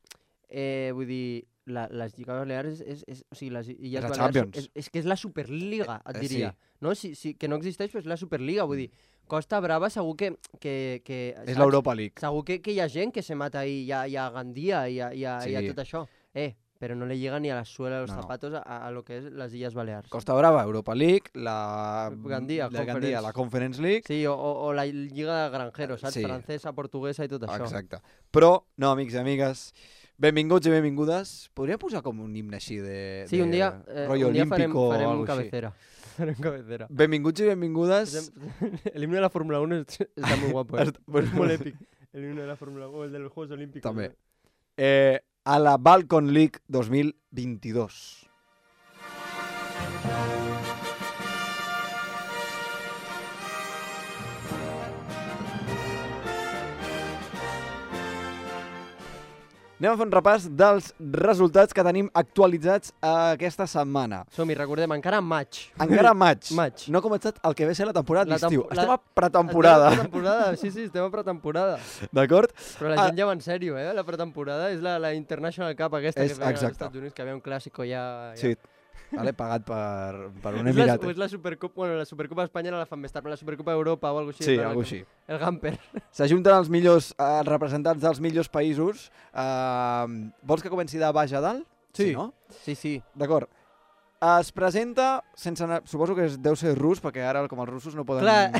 Eh, vull dir, la, les Lligues Balears és, és, és... O sigui, les Illes És la Balears Champions. és, és que és la Superliga, et Eh, diria. sí. No? Si, si, que no existeix, però és la Superliga. Vull dir, Costa Brava segur que... que, que És saps? l'Europa League. Segur que, que hi ha gent que se mata ahí, hi ha, hi ha Gandia, hi ha, hi ha, hi ha Sí. tot això. Eh, però no le llega ni a la suela de los No, no. zapatos a, a lo que es las Illes Balears. Costa Brava, Europa League, la... Gandia, la, Gandia, Conference. la Conference League. Sí, o, o, o la Lliga de Granjeros, saps? Sí. Francesa, portuguesa i tot això. Exacte. Però, no, amics i amigues, benvinguts i benvingudes. Podria posar com un himne així de... Sí, de un dia, eh, rotllo un dia farem, olímpico o farem algo així. cabecera. Farem cabecera. Benvinguts i benvingudes. El himno de la Fórmula uno es- está muy guapo, ¿eh? Està- bueno, Es muy épico. El himno de la Fórmula uno, el de los Juegos Olímpicos. També. ¿no? Eh, a la Balcon League dos mil veintidós. Anem a fer un repàs dels resultats que tenim actualitzats aquesta setmana. Som-hi, recordem, encara en maig. Encara maig. Maig. No ha començat el que ve a ser la temporada La d'estiu. tempo- Estem la- a pretemporada, Estem a pretemporada, sí, sí, estem a pretemporada. d'acord? Però la Ah. gent ja va en sèrio, eh? La pretemporada és la, la International Cup aquesta És- que feien als exacte. Estats Units, que havia un clàssico ja... ja. Sí, vale, pagat per, per un És la, emirat. o és la Supercopa, bueno, la Supercopa d'Espanya no la fan més tard, però la Supercopa d'Europa o alguna cosa així. Sí, és la- algo així. El Gamper. S'ajunten els millors eh, representants dels millors països. Uh, vols que comenci de baix a dalt? Sí. no? Sí, sí. D'acord. Es presenta, sense anar, suposo que es, deu ser rus, perquè ara, com els russos, no poden... Clar,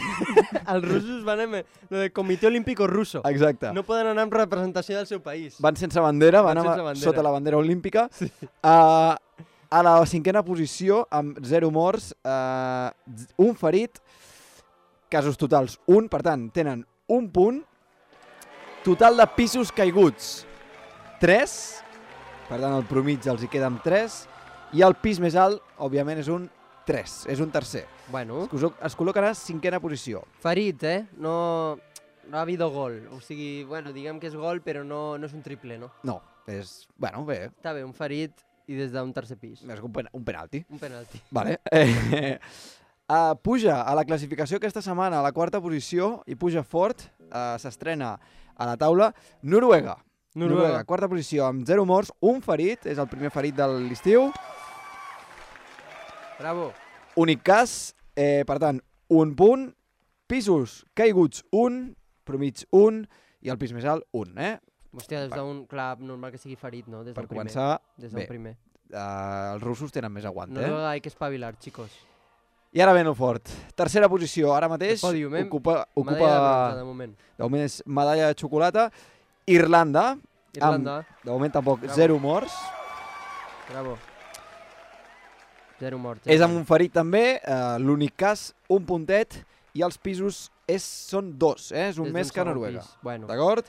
els russos van amb lo del Comitè Olímpico Russo. Exacte. No poden anar amb representació del seu país. Van sense bandera, van, Van amb, sense bandera. sota la bandera olímpica. Sí. Uh, a la cinquena posició, amb zero morts, uh, un ferit, casos totals un, per tant, tenen un punt, total de pisos caiguts, tres, per tant, el promig els hi queden tres, i el pis més alt, òbviament, és un tres, és un tercer. Bueno, Es, col- es col·locarà a cinquena posició. ferit, eh? No, no ha habido gol. O sigui, bueno, diguem que és gol, però no, no és un triple, no? No, és... Bueno, bé, Està bé, un ferit i des d'un tercer pis. és un, pen un penalti. Un penalti. Vale. Eh, uh, puja a la classificació aquesta setmana a la quarta posició i puja fort, uh, s'estrena a la taula, Noruega. Noruega. Quarta posició amb zero morts, un ferit, és el primer ferit de l'estiu. Bravo. Únic cas, eh, per tant, un punt, pisos caiguts un, promig un i el pis més alt un, eh? Hòstia, des d'un... Clar, normal que sigui ferit, no? Des Per d'un primer. començar, Des bé, d'un primer. uh, els russos tenen més aguant, eh? Noruega hay que espavilar, chicos. I ara ven el fort. Tercera posició, ara mateix, El pòdium, eh? ocupa, Medalla de ocupa bronze, de moment. de moment és medalla de xocolata. Irlanda, Irlanda. de moment tampoc, Bravo. zero morts. Bravo. Zero morts. És amb un ferit també, eh, l'únic cas, un puntet, i els pisos és, són dos, eh? És un Des més d'un que segon Noruega. pis. Bueno, D'acord?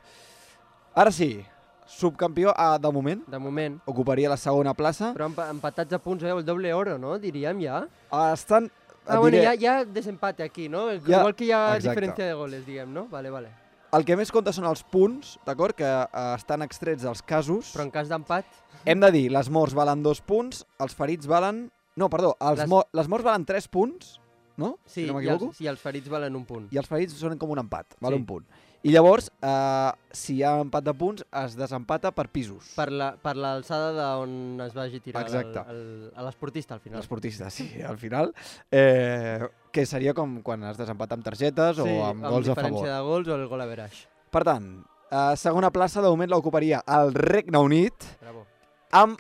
Ara sí, subcampió ah, de moment, de moment. ocuparia la segona plaça. Però empa empatats a punts, eh? El doble oro, no? Diríem ja. Ah, estan... Ah, et bueno, diré, ja, ja desempate aquí, no? Ja, Igual que hi ha exacte. diferència de goles, diguem, no? Vale, vale. El que més compta són els punts, d'acord? Que eh, estan extrets dels casos. Però en cas d'empat... Hem de dir, les morts valen dos punts, els ferits valen... No, perdó, els Les- les, mo les morts valen tres punts, no? Sí, si no i m'equivoco. els, sí, els ferits valen un punt. I els ferits són com un empat, val Sí. un punt. I llavors, eh, si hi ha empat de punts, es desempata per pisos. Per la- per l'alçada d'on es vagi tirar el- Exacte. el- a l'esportista, al final. L'esportista, sí, al final. Eh, que seria com quan es desempata amb targetes Sí, o amb gols a favor. diferència de gols o el gol a veraix. Per tant, eh, segona plaça de moment l'ocuparia el Regne Unit Bravo. amb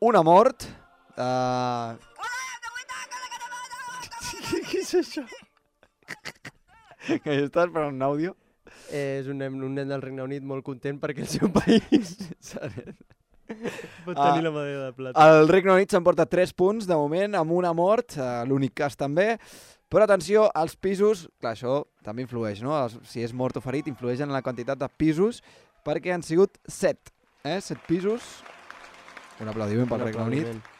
una mort. Eh... Què és això? Que estàs per un àudio? Eh, és un nen, un nen del Regne Unit molt content perquè el seu país pot Ah, tenir la medalla de plata. El Regne Unit s'emporta tres punts de moment amb una mort, eh, l'únic cas també. Però atenció, als pisos, clar, això també influeix, no? Els, si és mort o ferit, influeix en la quantitat de pisos, perquè han sigut set, eh? Set pisos. Un aplaudiment pel Un Regne Unit. aplaudiment.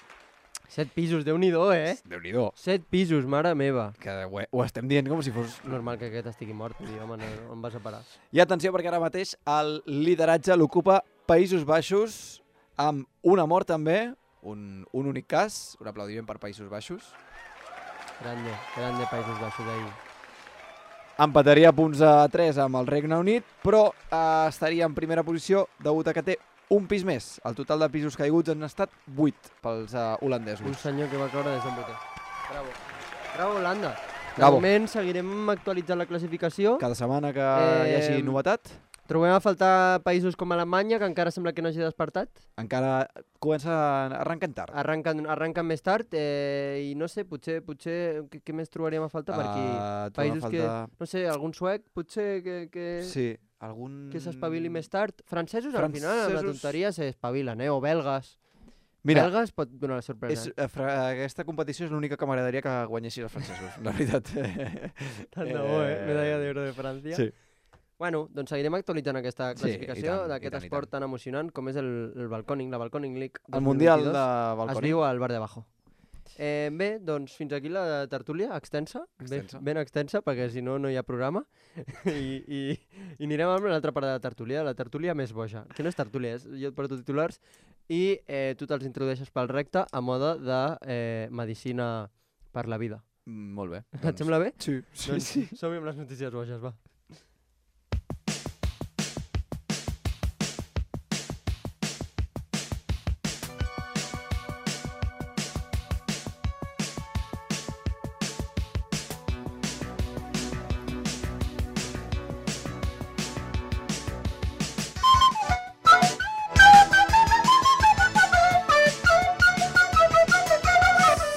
Set pisos, Déu-n'hi-do, eh? Déu-n'hi-do. Set pisos, mare meva. Que ho, ho estem dient com si fos... Normal que aquest estigui mort, vull dir, home, no, no em vas a parar. I atenció, perquè ara mateix el lideratge l'ocupa Països Baixos, amb una mort també, un, un únic cas, un aplaudiment per Països Baixos. Grande, grande Països Baixos ahí. Empataria punts a tres amb el Regne Unit, però eh, estaria en primera posició degut a que té un pis més. El total de pisos caiguts han estat vuit pels uh, holandesos. Un senyor que va caure des d'en vuitè. Bravo. Bravo, Holanda. De Bravo. moment seguirem actualitzant la classificació. Cada setmana que Eh, hi hagi novetat, Trobem a faltar països com Alemanya, que encara sembla que no hagi despertat. encara comença a arrencar tard. Arrenquen, arrenquen més tard eh, i no sé, potser, potser què, què més trobaríem a faltar per aquí? Uh, Països faltar... que, no sé, algun suec, potser que, que, Sí, algun... que s'espavili més tard. Francesos, al final, amb la Francesos- tonteria s'espavilen, eh? O belgues. Mira, Belgues pot donar la sorpresa. és, eh, fra- aquesta competició és l'única que m'agradaria que guanyessin els francesos, la veritat. Tant de bo, eh? Medalla d'euro de França. Sí. Bueno, doncs seguirem actualitzant aquesta Sí, i classificació tant, i d'aquest tant, i esport tant. tan emocionant com és el, el Balconing, la Balconing League El Mundial de dos mil vint-i-dos es Balconing. viu al Bar de Bajo. Eh, bé, doncs fins aquí la tertúlia extensa, Extensa. Ben, ben extensa, perquè si no, no hi ha programa. I, i, i anirem amb l'altra part de la tertúlia, la tertúlia més boja, que no és tertúlia, és, jo et porto titulars i eh, tu te'ls introdueixes pel recte a moda de eh, medicina per la vida. Mm, molt bé. Et sembla bé? Sí, sí, Doncs sí. som-hi amb les notícies boges, va.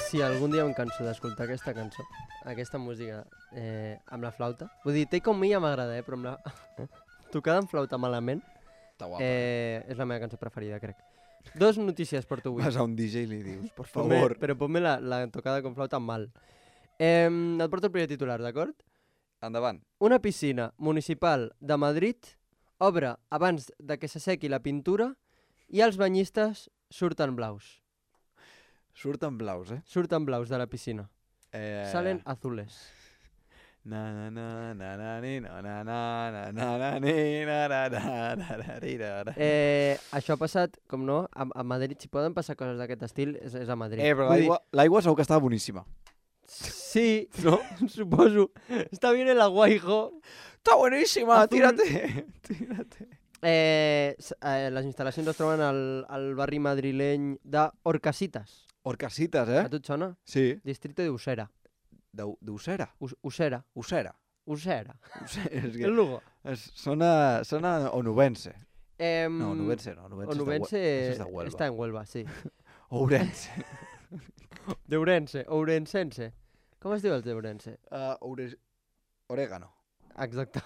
Si algun dia em canso d'escoltar aquesta cançó, aquesta música eh, amb la flauta, vull dir, Take On Me ja m'agrada, eh, però amb la... tocada amb flauta malament, Està guapa. eh, és la meva cançó preferida, crec. Dos notícies porto avui. Vas a un D J i li dius, per Ponme- favor. Però ponme la, la tocada con flauta mal. Eh, et porto el primer titular, d'acord? Endavant. Una piscina municipal de Madrid obre abans de que s'assequi la pintura i els banyistes surten blaus. Surten blaus, eh? Surten blaus de la piscina. eh... Salen azules. Na na na na na ni na na na na na na ni na na na na na ri na na. Eh, això ha passat, com no, a, a Madrid. Si poden passar coses d'aquest estil, és, és a Madrid. Eh, però Vull dir, l'aigua l'aigua segur que estava boníssima. sí, no? Suposo. Està bien el agua, hijo. Està boníssima, Azul. tírate. Tírate. Eh, s- eh, les instal·lacions es troben al, al barri madrileny d'Orcasitas. Orcasitas, eh? A tu et sona? Sí. Distrito de Usera. D'U- D'Usera. Us, Usera. Usera. Usera. Usera. És El que Lugo. es, sona, sona onubense. Eh, No, onubense no. Onubense, Onubense és de, Hue- això és de Huelva. està en Huelva, sí. Ourense. D'Ourense, Ourensense. Com es diu el d'Ourense? Uh, Oure... Orégano. Exacte.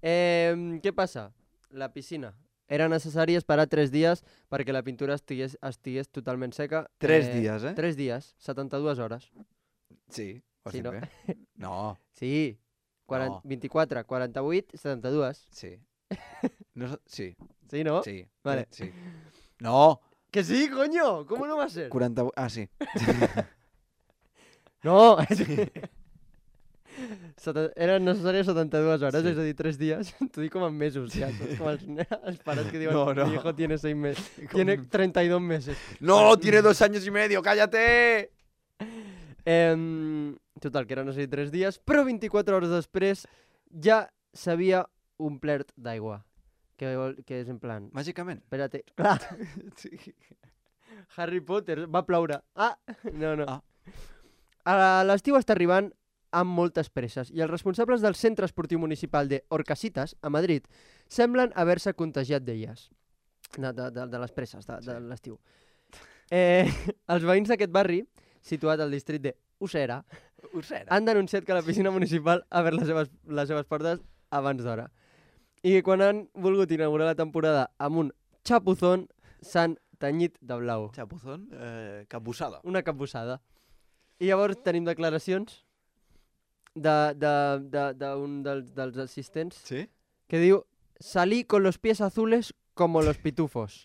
Eh, què passa? La piscina era necessari esperar tres dies perquè la pintura estigués, estigués totalment seca. Tres dies, eh? Tres dies, setanta-dues hores. Sí, ho Sí, estic no? bé. No, Sí, quaranta, No. vint-i-quatre, quaranta-vuit, setanta-dues. sí. No, sé- sí, Sí, no? sí. Vale. Sí. No, Que sí, coño, ¿cómo no va a ser? quaranta... Ah, sí. No! Seten- Eren necessàries setanta-dues hores, Sí. és a dir, tres dies. T'ho dic com en mesos, ja. Saps? Com els, els pares que diuen, No, no. mi hijo tiene seis meses. Tiene treinta y dos meses. No, tiene dos años y medio, cállate! Eh, total, que eren necessàries tres dies, però vint-i-quatre hores després ja s'havia omplert d'aigua. Que, vol- que és en plan... Màgicament. Espérate. Clar, Sí. Harry Potter, va ploure. Ah, no, no. Ah. A l'estiu està arribant amb moltes presses i els responsables del Centre Esportiu Municipal de Orcasitas, a Madrid, semblen haver-se contagiat d'elles. De, de, de, de les presses de, de l'estiu. Eh, els veïns d'aquest barri, situat al districte de Usera, Usera. han denunciat que la piscina municipal ha obert les seves, les seves portes abans d'hora. I que quan han volgut inaugurar la temporada amb un xapuzón, s'han tenyit de blau. Chapuzón, eh, capbussada. Una capbussada. I llavors tenim declaracions d'un de, de, de un dels, dels assistents Sí? que diu salí con los pies azules como los pitufos.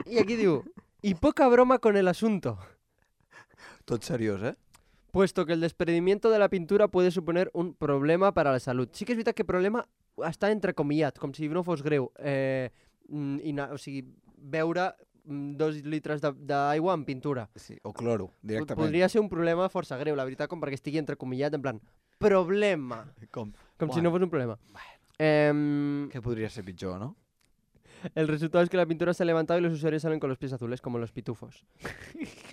I aquí diu, y poca broma con el asunto, Tot seriós, eh? puesto que el desprendimiento de la pintura puede suponer un problema para la salud. Sí que és veritat que problema està entrecomillat, com si no fos greu. Eh, mm, i na, o sigui, beure mm, dos litres de- d'aigua amb pintura. Sí, o cloro, Po- directament. Podria ser un problema força greu, la veritat, com perquè estigui entrecomillat, en plan, problema. Com? Com si Bueno. no fos un problema. Eh, Què podria ser pitjor, no? el resultado es que la pintura se ha levantado y los usuarios salen con los pies azules, como los pitufos.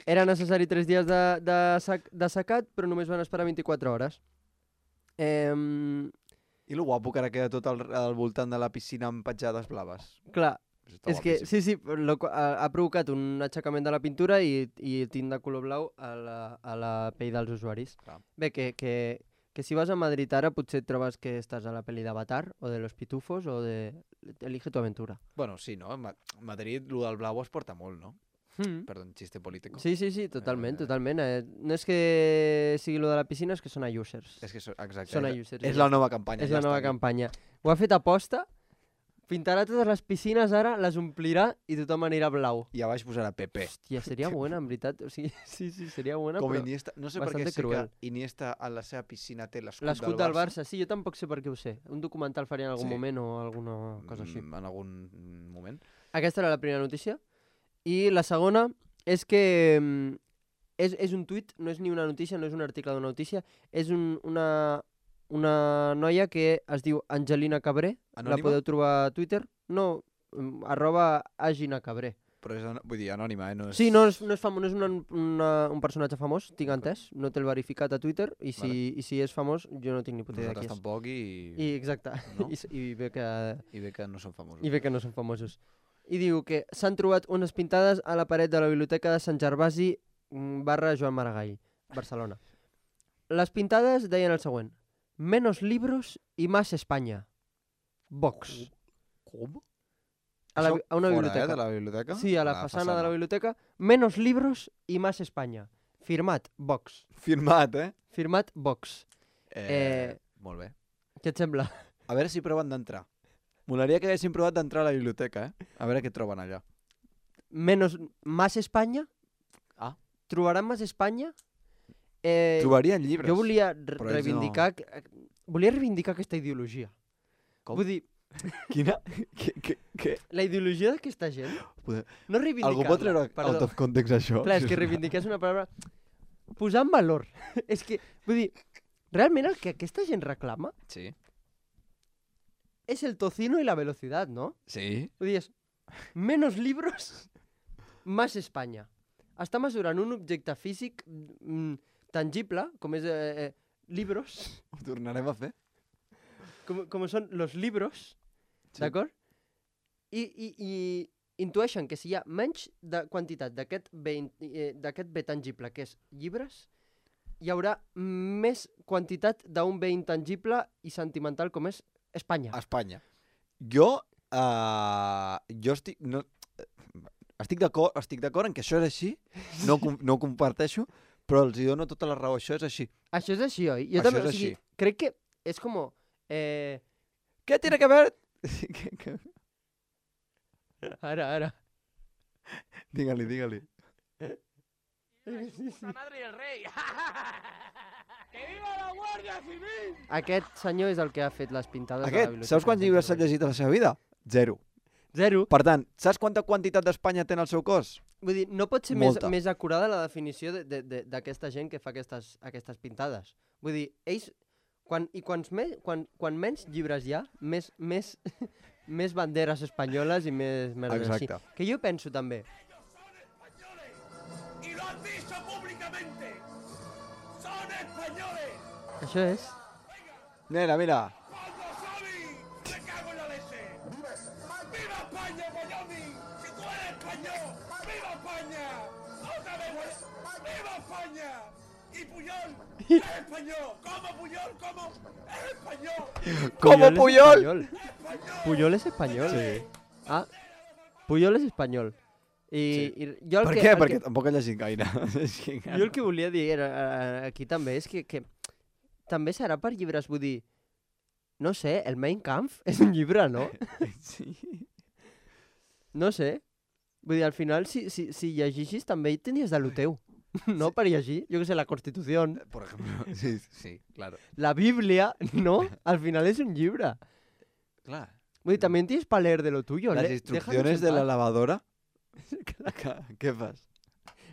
Era necessari tres dies de, de, sac, de secat, però només van esperar vint-i-quatre hores. Eh, I lo guapo que ara queda tot al, al voltant de la piscina amb petjades blaves. clar, Això està és que guapíssim. sí, sí, lo, ha, ha provocat un aixecament de la pintura i, i tint de color blau a la, a la pell dels usuaris. Clar. Bé, que, que, que si vas a Madrid ara potser et trobes que estàs a la pel·li d'Avatar o de Los Pitufos o de Elige tu aventura. Bueno, sí, no? Ma Madrid, lo del blau es porta molt, no? Mm. Perdó, chiste político. Sí, sí, sí, totalment, Eh, totalment. Eh, no és que sigui lo de la piscina, és que són a users. És que, so, exacte. Són a és, users. és ja la nova campanya. És ja la nova està aquí. campanya. Ho ha fet aposta, pintarà totes les piscines ara, les omplirà i tothom anirà blau. I a baix posarà P P. Hòstia, seria buena, en veritat. O sigui, sí, sí, seria buena, Com però... Iniesta. No sé per què bastante sé cruel. que Iniesta a la seva piscina té l'escut L'escut del del Barça. Barça, sí, jo tampoc sé per què ho sé. Un documental faria en algun Sí. moment o alguna cosa així. Mm, En algun moment. Aquesta era la primera notícia. I la segona és que mm, és, és un tuit, no és ni una notícia, no és un article d'una notícia, és un, una, una noia que es diu Angelina Cabré. La Anònima? podeu trobar a Twitter. No, mm, arroba Agina Cabré. Però és, an- vull dir, anònima, eh? No és... Sí, no és, no és, famo, no és una, una, un personatge famós, tinc entès. No té el verificat a Twitter i si, Vale. i si és famós jo no tinc ni puta idea qui Nosaltres és. tampoc i... I, exacte. No? I, s- i, bé que, I bé que no són famosos. I bé que no són famosos. I diu que s'han trobat unes pintades a la paret de la biblioteca de Sant Gervasi mm, barra Joan Maragall, Barcelona. Les pintades deien el següent. Menos libros y más España. Vox. Com? A, la, Això bi- a una fora, biblioteca. Eh, de la biblioteca? Sí, a la, façana, de la biblioteca. Menos libros y más España. Firmat, Vox. Firmat, eh? Firmat, Vox. eh? Eh, Molt bé. Què et sembla? A veure si proven d'entrar. Molaria que haguessin provat d'entrar a la biblioteca, eh? A veure què troben allà. Menos, más España? Ah. Trobaran más España? Eh, Trobarien llibres. Jo volia re però ells reivindicar... No. Volia reivindicar aquesta ideologia. Com? Vull dir, Quina? Què? Què? Què? la ideologia d'aquesta gent... Poder- No reivindicar-la. Algú pot treure perdó. out of context això? Clar, és que reivindicar és una paraula... Posar en valor. És que, vull dir, realment el que aquesta gent reclama Sí. és el tocino i la velocitat, no? Sí. Vull dir, és menos libros, más Espanya. Està mesurant un objecte físic mm, tangible, com és eh, eh, libros, Ho tornarem a fer? com, com són los libros, Sí. d'acord? I, i, I intueixen que si hi ha menys de quantitat d'aquest bé, in- eh, d'aquest bé tangible, que és llibres, hi haurà més quantitat d'un bé intangible i sentimental com és Espanya. A Espanya. Jo Uh, jo estic... No, estic d'acord estic d'acord en que això és així, no, no ho comparteixo, però els hi dono tota la raó, això és així. Això és així, oi? Jo Això també, és o sigui, així. crec que és com... Eh... Què tiene que ver? Ara, ara. Digue-li, digue-li. ¡La madre y el rey! ¡Que viva la Guardia Civil! Aquest senyor és el que ha fet les pintades de la Aquest, biblioteca. saps quants llibres s'ha llegit a la seva vida? Zero. Zero. Per tant, saps quanta quantitat d'Espanya té en el seu cos? Vull dir, no pot ser més, Molta. més acurada la definició de- de- de- d'aquesta gent que fa aquestes, aquestes pintades. Vull dir, ells... Quan, I quants me, quan, quan menys llibres hi ha, més, més, més banderes espanyoles i més merdes així. Exacte. Que jo penso també... Y lo han dicho públicamente. Son españoles. Això és... Mira, mira. ¡Pablo Xavi! ¡Me cago en la leche! ¡Viva España, Bolloni! ¡Si tú eres español! ¡Viva España! ¡Otra vez! ¡Viva España! ¡Y Puyol! ¡Es español! ¿Cómo Puyol? ¿Cómo? ¡Es español! ¿Cómo es Puyol? español. Puyol és espanyol? Sí. Ah, Puyol és espanyol. I, Sí. i jo el Per que, què? el Perquè que, tampoc he llegit gaire. És que jo el que volia dir era, eh, aquí també és que, que també serà per llibres, vull dir, no sé, el Mein Kampf és un llibre, no? Sí. No sé. Vull dir, al final, si, si, si llegissis també hi tenies de lo teu. No per llegir, jo que sé, la Constitució, Por ejemplo, sí, sí, claro. la Bíblia, no? Al final és un llibre. Clar. Vull dir, també tienes para leer de lo tuyo. Las le- instrucciones déjanos de en la paz. lavadora. Què fas?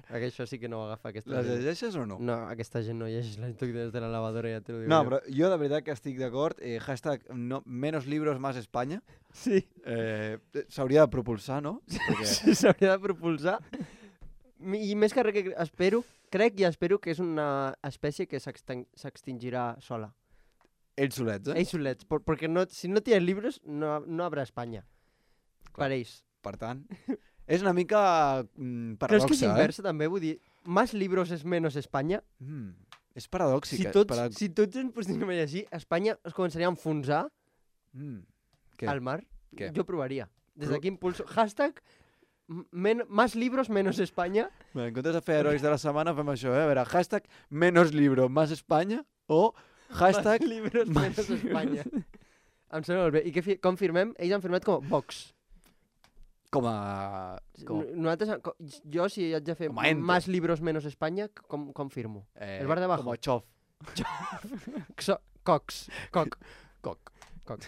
Que això sí que no ho agafa aquesta Les gent. llegeixes o no? No, aquesta gent no llegeix les instruccions de la lavadora, ja te lo digo No, jo. però jo de veritat que estic d'acord. Eh, hashtag no, menos libros más España. Sí. Eh, S'hauria de propulsar, no? Perquè S'hauria de propulsar. I més que res que espero, crec i espero que és una espècie que s'extin- s'extingirà sola. ells solets, eh? Ells solets, por- perquè no, si no tienes libros no, no habrá Espanya. Clar. Per ells. Per tant, és una mica mm, Creus que és paradoxa, inversa també? Vull dir, más libros es menos Espanya. eh? Mm, és paradòxic. Si eh? tots, Para... si tots ens poséssim a llegir, Espanya es començaria a enfonsar Mm. Què? al mar. Què? Jo provaria. Des Pro- d'aquí impulso. Hashtag men más libros menos Espanya. Bé, en comptes de fer herois de la setmana, fem això, eh? A veure, hashtag menos libro más España o hashtag... Más libros más menos libros. Espanya. Em sembla molt bé. I què fi- com firmem? Ells han firmat com a Vox. Com a... Com, N- Nosaltres, co- jo, si haig de fer Com a ente. más libros menos Espanya, com, com firmo? eh, el bar de abajo. Com a xof. Xo Cox. Coc. Coc. Coc.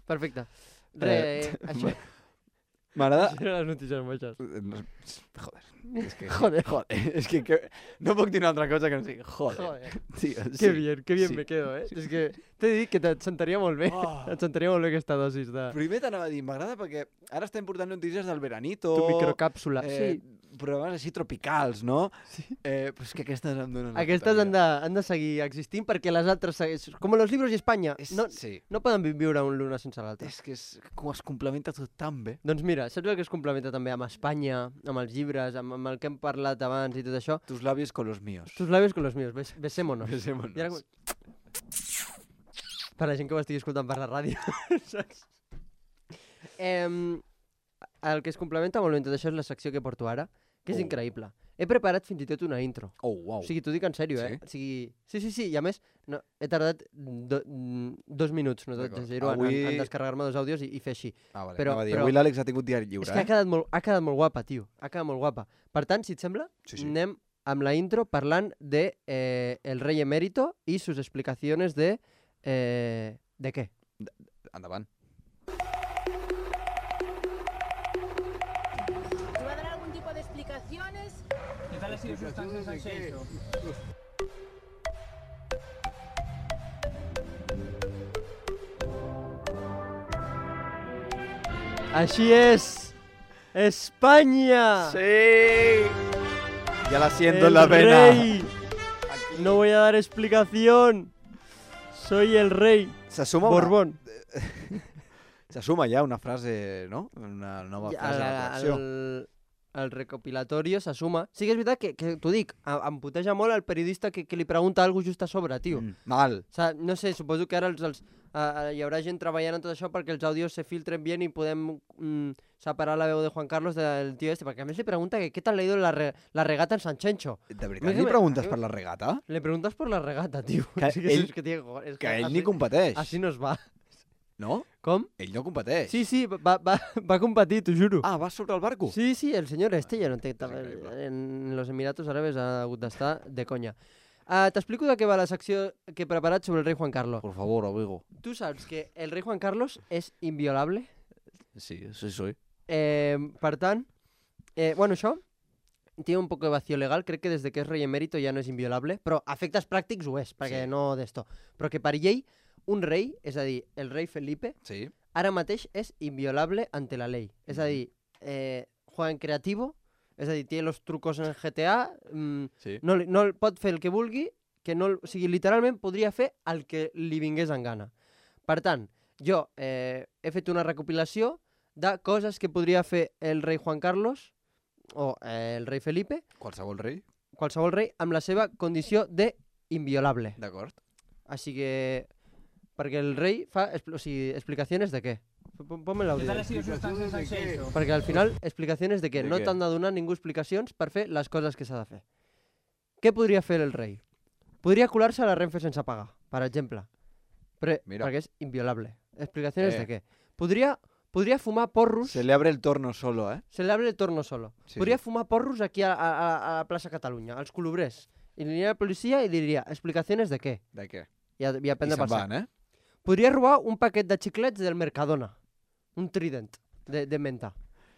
Perfecte. Re, Eh, això. M'agrada... Això eren les notícies moixes. No, joder. És que, Joder. joder. És que, que no puc dir una altra cosa que no sigui joder. Joder. Tio, Qué sí. bien, qué bien sí. me quedo, eh? És que t'he dit que et sentaria molt bé. Oh. Et sentaria molt bé aquesta dosis de... Primer t'anava a dir, m'agrada perquè ara estem portant notícies del veranito, Tu microcàpsula. eh, Sí. programes així tropicals, no? Sí. Eh, però és que aquestes em donen la Aquestes puta han de, han de seguir existint perquè les altres segueixen... Com los libros i Espanya. És, No, sí. no poden vi- viure un l'una sense l'altre. És que és, com es complementa tot tan bé. Doncs mira, saps el que es complementa també amb Espanya, amb els llibres, amb, amb el que hem parlat abans i tot això? Tus labios con los míos. Tus labios con los míos, bes besémonos. Besémonos. I ara com... Per la gent que ho estigui escoltant per la ràdio. Saps? Em, el que es complementa molt bé amb tot això és la secció que porto ara, que és Oh. increïble. He preparat fins i tot una intro. Oh, wow. O sigui, t'ho dic en sèrio, eh? O sigui, sí, sí, sí, i a més, no, he tardat do, mm, dos minuts, no D'acord. t'exagero, en, Avui- en, en descarregar-me dos àudios i, i fer així. Ah, vale. però- Anava a dir, però- avui l'Àlex ha tingut diari lliure, És que ha eh? quedat, molt, ha quedat molt guapa, tio. Ha quedat molt guapa. Per tant, si et sembla, Sí, sí. anem amb la intro parlant de eh, el rey emérito y sus explicaciones de... Eh, ¿de qué? Endavant. ¿Te va a dar algún tipo de explicaciones? ¿Qué tal ha sido su estancia en San Xenxo? Així és! ¡España! Sí! Ya la siento en ¡El la vena. rey! No voy a dar explicación. Soy el rey. Se suma una... Borbón. Se suma ja una frase, no? Una nova Ja, frase a la el, col·lecció. el, el recopilatorio s'assuma. Sí que és veritat que, que t'ho dic, em, em puteja molt el periodista que, que li pregunta alguna cosa just a sobre, tio. Mm, mal. O sea, no sé, suposo que ara els, els, uh, hi haurà gent treballant en tot això perquè els àudios se filtren bien i podem mm, separar la veu de Juan Carlos del tio este, perquè a més li pregunta que què tal le ha ido la, re, la regata en San Chencho. De veritat li preguntes per la regata? Le preguntes per la regata, tio. Que sí, que ell, és que, tio, és que ell així, ni competeix. Així no es va. No? Com? Ell no competeix. Sí, sí, va, va, va competir, t'ho juro. Ah, va sobre el barco? Sí, sí, el senyor este ja no té... En los Emiratos Árabes ha hagut d'estar de conya. Uh, T'explico de què va la secció que he preparat sobre el rei Juan Carlos. Por favor, amigo. Tu saps que el rei Juan Carlos és inviolable? Sí, sí soy. Eh, per tant, eh, bueno, això tiene un poco de vacío legal, crec que des de que és rei emèrito ja no és inviolable, però a efectes pràctics ho és, perquè Sí. no d'esto. Però que per llei, un rei, és a dir, el rei Felipe, Sí. ara mateix és inviolable ante la ley. És a dir, eh, juega en creativo, és a dir, té los trucos en G T A, mm, Sí. no, li- no el pot fer el que vulgui, que no, el- o sigui, literalment podria fer el que li vingués en gana. Per tant, jo eh, he fet una recopilació de coses que podria fer el rei Juan Carlos o eh, el rei Felipe, Qualsevol rei? qualsevol rei, amb la seva condició de inviolable. D'acord. Així que, perquè el rei fa expl o sigui, explicacions de què? Pon- Ponme l'àudio. ¿Qué tal ha sido su estancia en San Xenxo? Perquè al final, explicacions de què? De No què? t'han de donar ningú explicacions per fer les coses que s'ha de fer. Què podria fer el rei? Podria colar-se a la Renfe sense pagar, per exemple. Però, Mira. perquè és inviolable. Explicacions Eh. de què? Podria, podria fumar porros... Se le abre el torno solo, eh? Se le abre el torno solo. Sí, Podria sí. fumar porros aquí a, a, a la plaça Catalunya, als colobrers. I aniria a la policia i diria, explicacions de què? De què? I a, i a I prendre se'n per sac. van, eh? Podria robar un paquet de xiclets del Mercadona. Un trident de, de menta.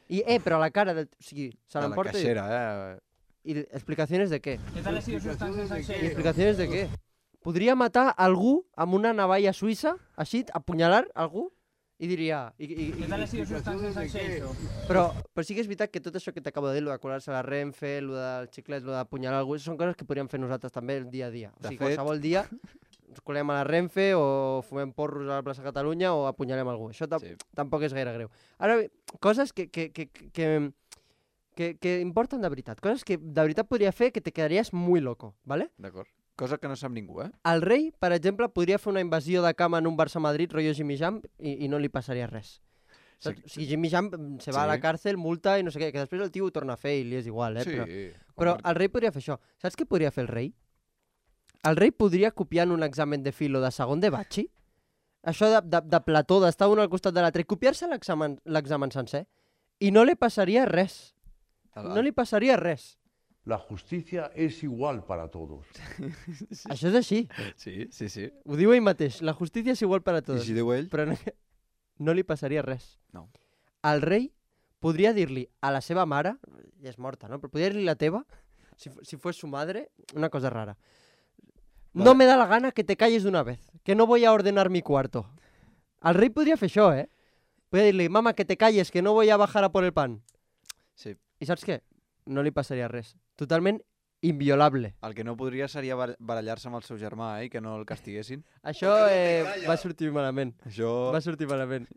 I, eh, però a la cara del... O sigui, se De la l'emporta i... caixera, eh? I explicacions de què? ¿Qué tal ha sido su estancia en San I Xenxo? explicacions de què? Podria matar algú amb una navalla suïssa, així, apunyalar algú, i diria... I, i, ¿Qué i, tal ha sido su estancia en San Xenxo? però, però sí que és veritat que tot això que t'acabo de dir, lo de colar-se a la Renfe, lo dels xiclets, lo d'apunyalar algú, són coses que podríem fer nosaltres també el dia a dia. O De sigui, fet- qualsevol dia ens colem a la Renfe o fumem porros a la plaça Catalunya o apunyalem algú. Això tam Sí. tampoc és gaire greu. Ara bé, coses que, que, que, que, que, que importen de veritat. Coses que de veritat podria fer que te quedaries muy loco, ¿vale? D'acord. Cosa que no sap ningú, eh? El rei, per exemple, podria fer una invasió de cama en un Barça-Madrid, rotllo Jimmy Jam, i, i no li passaria res. Sí. Saps? O sigui, Jimmy Jam mm, se va Sí. a la càrcel, multa i no sé què, que després el tio ho torna a fer i li és igual, eh? Sí. Però, com però per- el rei podria fer això. Saps què podria fer el rei? El rei podria copiar en un examen de filo de segon de batxi, això de, de, de plató, d'estar un al costat de l'altre, i copiar-se l'examen l'examen sencer, i no li passaria res. El- No li passaria res. La justicia es igual para todos. Això és així. Sí, sí, sí. Ho diu ell mateix. La justícia és igual per a I tots. si diu ell? Però no, no li passaria res. No. El rei podria dir-li a la seva mare, ja és morta, no? Però podria dir-li la teva, si, fu- si fos su madre, una cosa rara. Vale. No me da la gana que te calles d'una vez, que no voy a ordenar mi cuarto. El rei podria fer això, eh? Podria dir-li, mama, que te calles, que no voy a bajar a por el pan. Sí. I saps què? No li passaria res. Totalment inviolable. El que no podria seria bar- barallar-se amb el seu germà, eh? I que no el castiguessin. Això eh, va sortir malament. Això... Va sortir malament.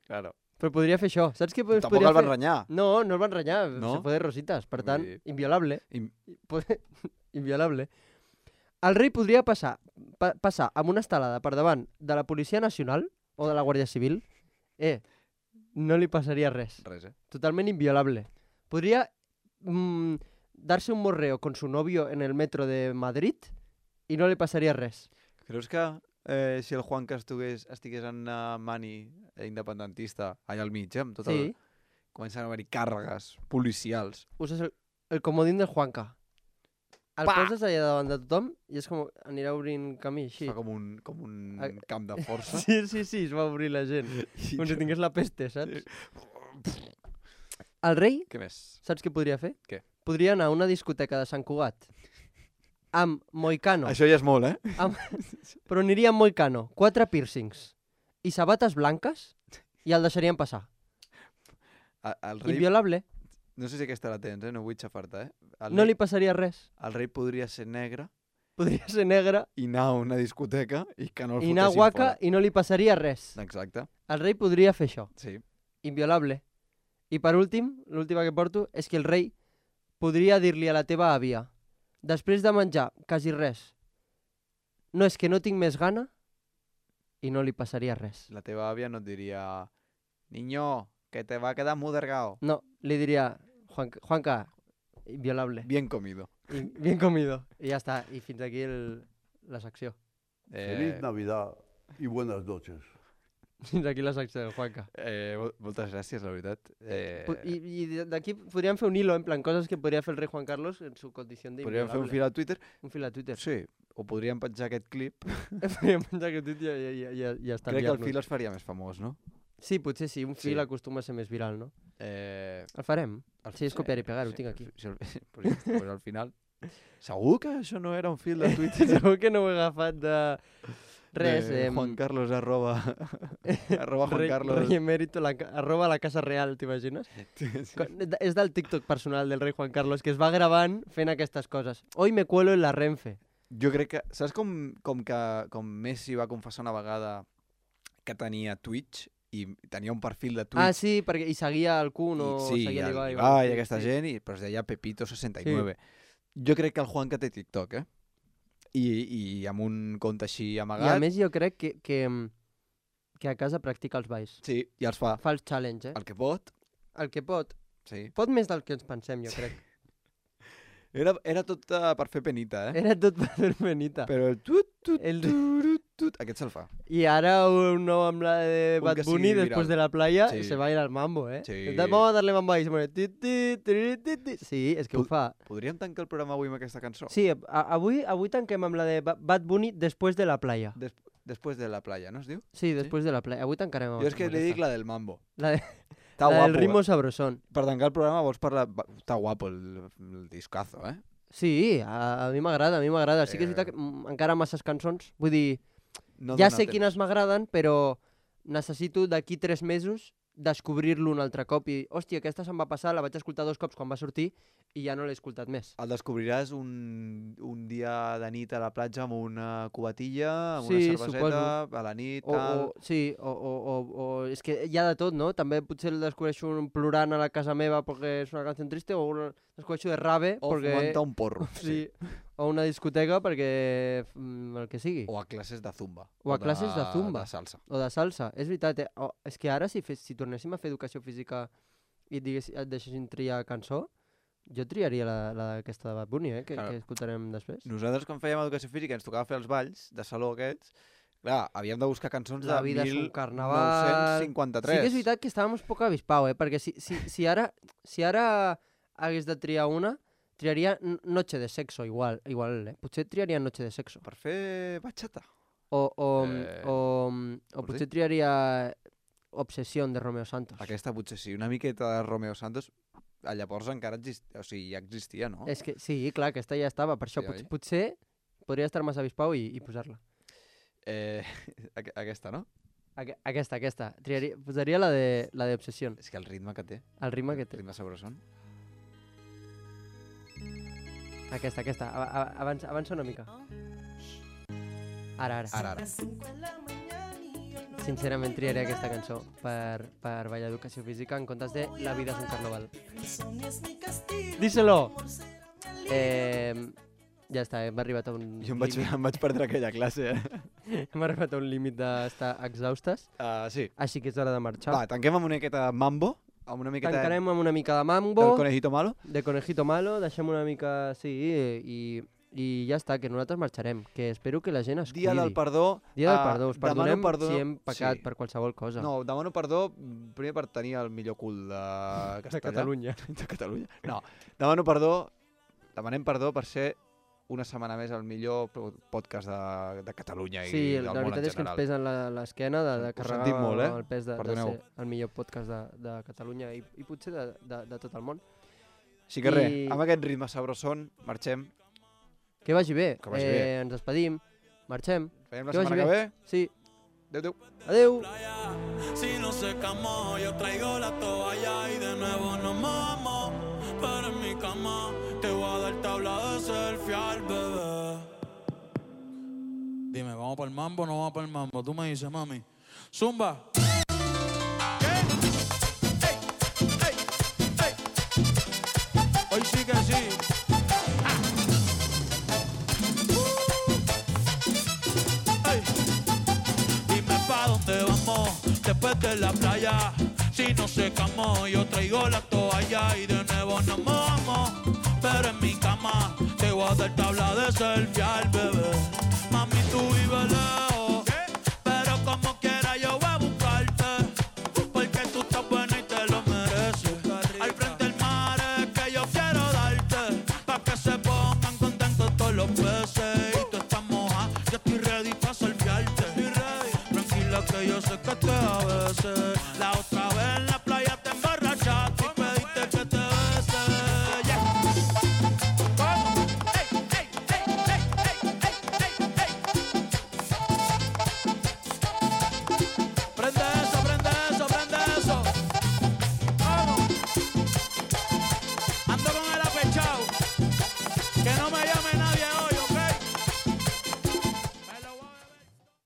Claro. Però podria fer això. Saps què es Tampoc podria el van fer? renyar. No, no el van renyar. No? Se fue de rositas. Per Vull tant, dir- inviolable. Im- Pod- inviolable. El rei podria passar, pa passar amb una estelada per davant de la Policia Nacional o de la Guàrdia Civil. Eh, no li passaria res. Res, eh? Totalment inviolable. Podria mm, darse un morreo con su novio en el metro de Madrid i no li passaria res. Creus que eh, si el Juan que estigués, estigués en uh, mani eh, independentista allà al mig, eh, amb tot Sí. el... Comencen a haver-hi càrregues policials. Uses el, el comodín del Juanca. El Pa! poses allà davant de tothom i és com anirà obrint camí així. Fa com un, com un Ah. camp de força. Sí, sí, sí, es va obrir la gent. I Com si jo- tingués la peste, saps? El rei, Què més? saps què podria fer? Què? Podria anar a una discoteca de Sant Cugat amb moicano, Això ja és molt, eh? amb... però aniria amb moicano, quatre piercings i sabates blanques i el deixarien passar. A- El rei... Inviolable, No sé si aquesta la tens, eh? No vull xafar-te, eh? El no rei... li passaria res. El rei podria ser negre Podria ser negre i anar a una discoteca i que no el i anar fotessin guaca fora. i no li passaria res. Exacte, El rei podria fer això. sí. Inviolable. I per últim, l'última que porto, és que el rei podria dir-li a la teva àvia, després de menjar quasi res, no és que no tinc més gana, i no li passaria res. La teva àvia no et diria niño, que te va a quedar mudergao. No, li diria Juan, Juanca, inviolable. Bien comido. I, bien comido. I ja està. I fins aquí el, la secció. Eh, Feliz Navidad y buenas noches. Fins aquí la secció del Juanca. Eh, moltes gràcies, la veritat. Eh, I, I d'aquí podríem fer un hilo, en plan, coses que podria fer el rei Juan Carlos en su condició d'inviolable. podríem fer un fil a Twitter. Un fil a Twitter. Sí, o podríem penjar aquest clip. Podríem penjar aquest Twitter i ja, ja, ja, ja està. Crec que el fil es faria més famós, no? Sí, potser sí. Un fil Sí. acostuma a ser més viral, no? Eh, El farem. el- Sí, és copiar i pegar, ho tinc aquí. Sí, sí, pues, pues al final... Segur que això no era un fil de Twitter? Segur que no ho he agafat de... Res. De em, Juan Carlos arroba... arroba Juan Rei, Carlos. Rei emèrito, la, ca- arroba la Casa Real, t'imagines? Sí. Co- És del TikTok personal del rei Juan Carlos, que es va gravant fent aquestes coses. Hoy me cuelo en la Renfe. Jo crec que... Saps com, com que com Messi va confessar una vegada que tenia Twitch i tenia un perfil de Twitch? Ah, sí, perquè hi seguia el Kun o I, sí, seguia el l'Ibai. o Ibai sí, i aquesta sí. gent, i, però es deia Pepito seixanta i nueve. Jo crec que el Juan que té TikTok, eh? I, i amb un compte així I amagat. a més jo crec que, que, que a casa practica els balls. Sí, i els fa. Fa els challenge, eh? El que pot. El que pot. Sí. Pot més del que ens pensem, jo crec. Era, era tot uh, per fer penita, eh? Era tot per fer penita. Però el tut, tut, El- turut, tut, aquest se'l fa. I ara un nou amb la de Un Bad que Bunny, sigui después viral. de la playa, Sí. se va a ir al mambo, eh? Sí. Entonces, vamos a darle mambo ahí. Se pone... ti, ti, ti, ti, ti. Sí, és que ho Pu- fa. Podríem tancar el programa avui amb aquesta cançó? Sí, a, avui, avui tanquem amb la de Ba- Bad Bunny después de la playa. Des Després de la playa, no es diu? Sí, después de la playa. Avui tancarem amb Jo és que amb li aquesta. dic la del mambo. La, de, Està la guapo. del ritmo eh? sabrosón. Per tancar el programa vols parlar... va, Està guapo el, el discazo, eh? Sí, a, a mi m'agrada, a mi m'agrada. Sí que és Eh. veritat que mm, encara masses cançons. Vull dir, No ja dona sé temps. quines m'agraden, però necessito d'aquí tres mesos descobrir-lo un altre cop i, hòstia, aquesta se'm va passar, la vaig escoltar dos cops quan va sortir i ja no l'he escoltat més. El descobriràs un, un dia de nit a la platja amb una cubatilla, amb Sí, una cerveseta, suposo. a la nit, O, tal... o, sí, o, o, o, o és que hi ha de tot, no? També potser el descobreixo un plorant a la casa meva perquè és una cançó triste, o un descobreixo de rave O perquè... fumant un porro. Sí. O una discoteca perquè... mm, el que sigui. O a classes de zumba. O a classes de zumba. De salsa. O de salsa, és veritat. Eh? O, és que ara si, fes, si tornéssim a fer educació física i et, digués, et deixessin triar cançó, jo triaria la, la aquesta de Bad Bunny, eh? que, Clar. que escoltarem després. Nosaltres, quan fèiem educació física, ens tocava fer els balls de saló aquests. Clar, havíem de buscar cançons La de vida és un mil carnaval. nou-cents cinquanta-tres. Sí que és veritat que estàvem un poc avispau, eh? Perquè si, si, si, ara, si ara hagués de triar una, triaria N- Noche de Sexo, igual, igual eh? Potser triaria Noche de Sexo. Per fer batxata. O, o, Eh, o, o vols potser dir? triaria Obsession de Romeo Santos. Aquesta potser sí, una miqueta de Romeo Santos. A llavors encara existia, o sigui, ja existia, no? És que sí, clar, aquesta ja estava, per això Sí, pot, oi? potser podria estar massa avispau i, i posar-la. Eh, aqu- aquesta, no? Aqu aquesta, aquesta. Triaria, posaria la de la de Obsession. És que el ritme que té. El ritme que El té. ritme sabrosón. Aquesta, aquesta. A, a, avança, avança una mica. Ara, ara. Ara, ara. Sincerament triaria aquesta cançó per, per ballar educació física en comptes de La vida és un carnaval. Díselo! Eh, ja està, hem arribat a un Jo em vaig, límit. em vaig perdre aquella classe, eh? Hem arribat a un límit d'estar exhaustes, Uh, sí. així que és hora de marxar. Va, tanquem amb una miqueta de mambo, amb una miqueta Tancarem amb una mica de del mambo, conejito malo. de conejito malo, deixem una mica, sí, i, i ja està, que nosaltres marxarem, que espero que la gent es Dia cuidi. del perdó. Dia del ah, perdó, us demano perdonem perdó- si hem pecat sí. per qualsevol cosa. No, demano perdó mm, primer per tenir el millor cul de Castellà. de Catalunya. De Catalunya. No, demano perdó, demanem perdó per ser una setmana més el millor po- podcast de, de Catalunya i Sí, del la món veritat en és que ens general. pesa en la- l'esquena de, de Ho carregar sentim molt, eh? el pes de, de Perdoneu. ser el millor podcast de, de Catalunya i, i potser de, de, de tot el món. Així que res, I- amb aquest ritme sabrosón, marxem. Que vagi bé. Que vagi eh, bé. Ens despedim, marxem. Veiem la Que vagi setmana que ve. Sí. Adéu, adéu. Adéu. Si no secamos, yo traigo la toalla y de nuevo nos mojamos. Pero en mi cama te voy a dar tabla de selfie al bebé. Dime, ¿vamos para el mambo o no vamos para el mambo? Tú me dices, mami. Zumba. ¿Qué? Ey, ey. Ey. Dime pa' dónde vamos después de la playa. Si no secamos, yo traigo la toalla y de nuevo nos mojamos. Pero en mi cama te voy a dar tabla de selfie al bebé. Mami, tú vives lejos, pero como quiera yo voy a buscarte. Porque tú estás buena y te lo mereces. Al frente del mar es que yo quiero darte, pa' que se pongan contentos todos los peces. Y tú estás moja, yo estoy ready pa' selfiearte. Tranquila que yo sé que te a veces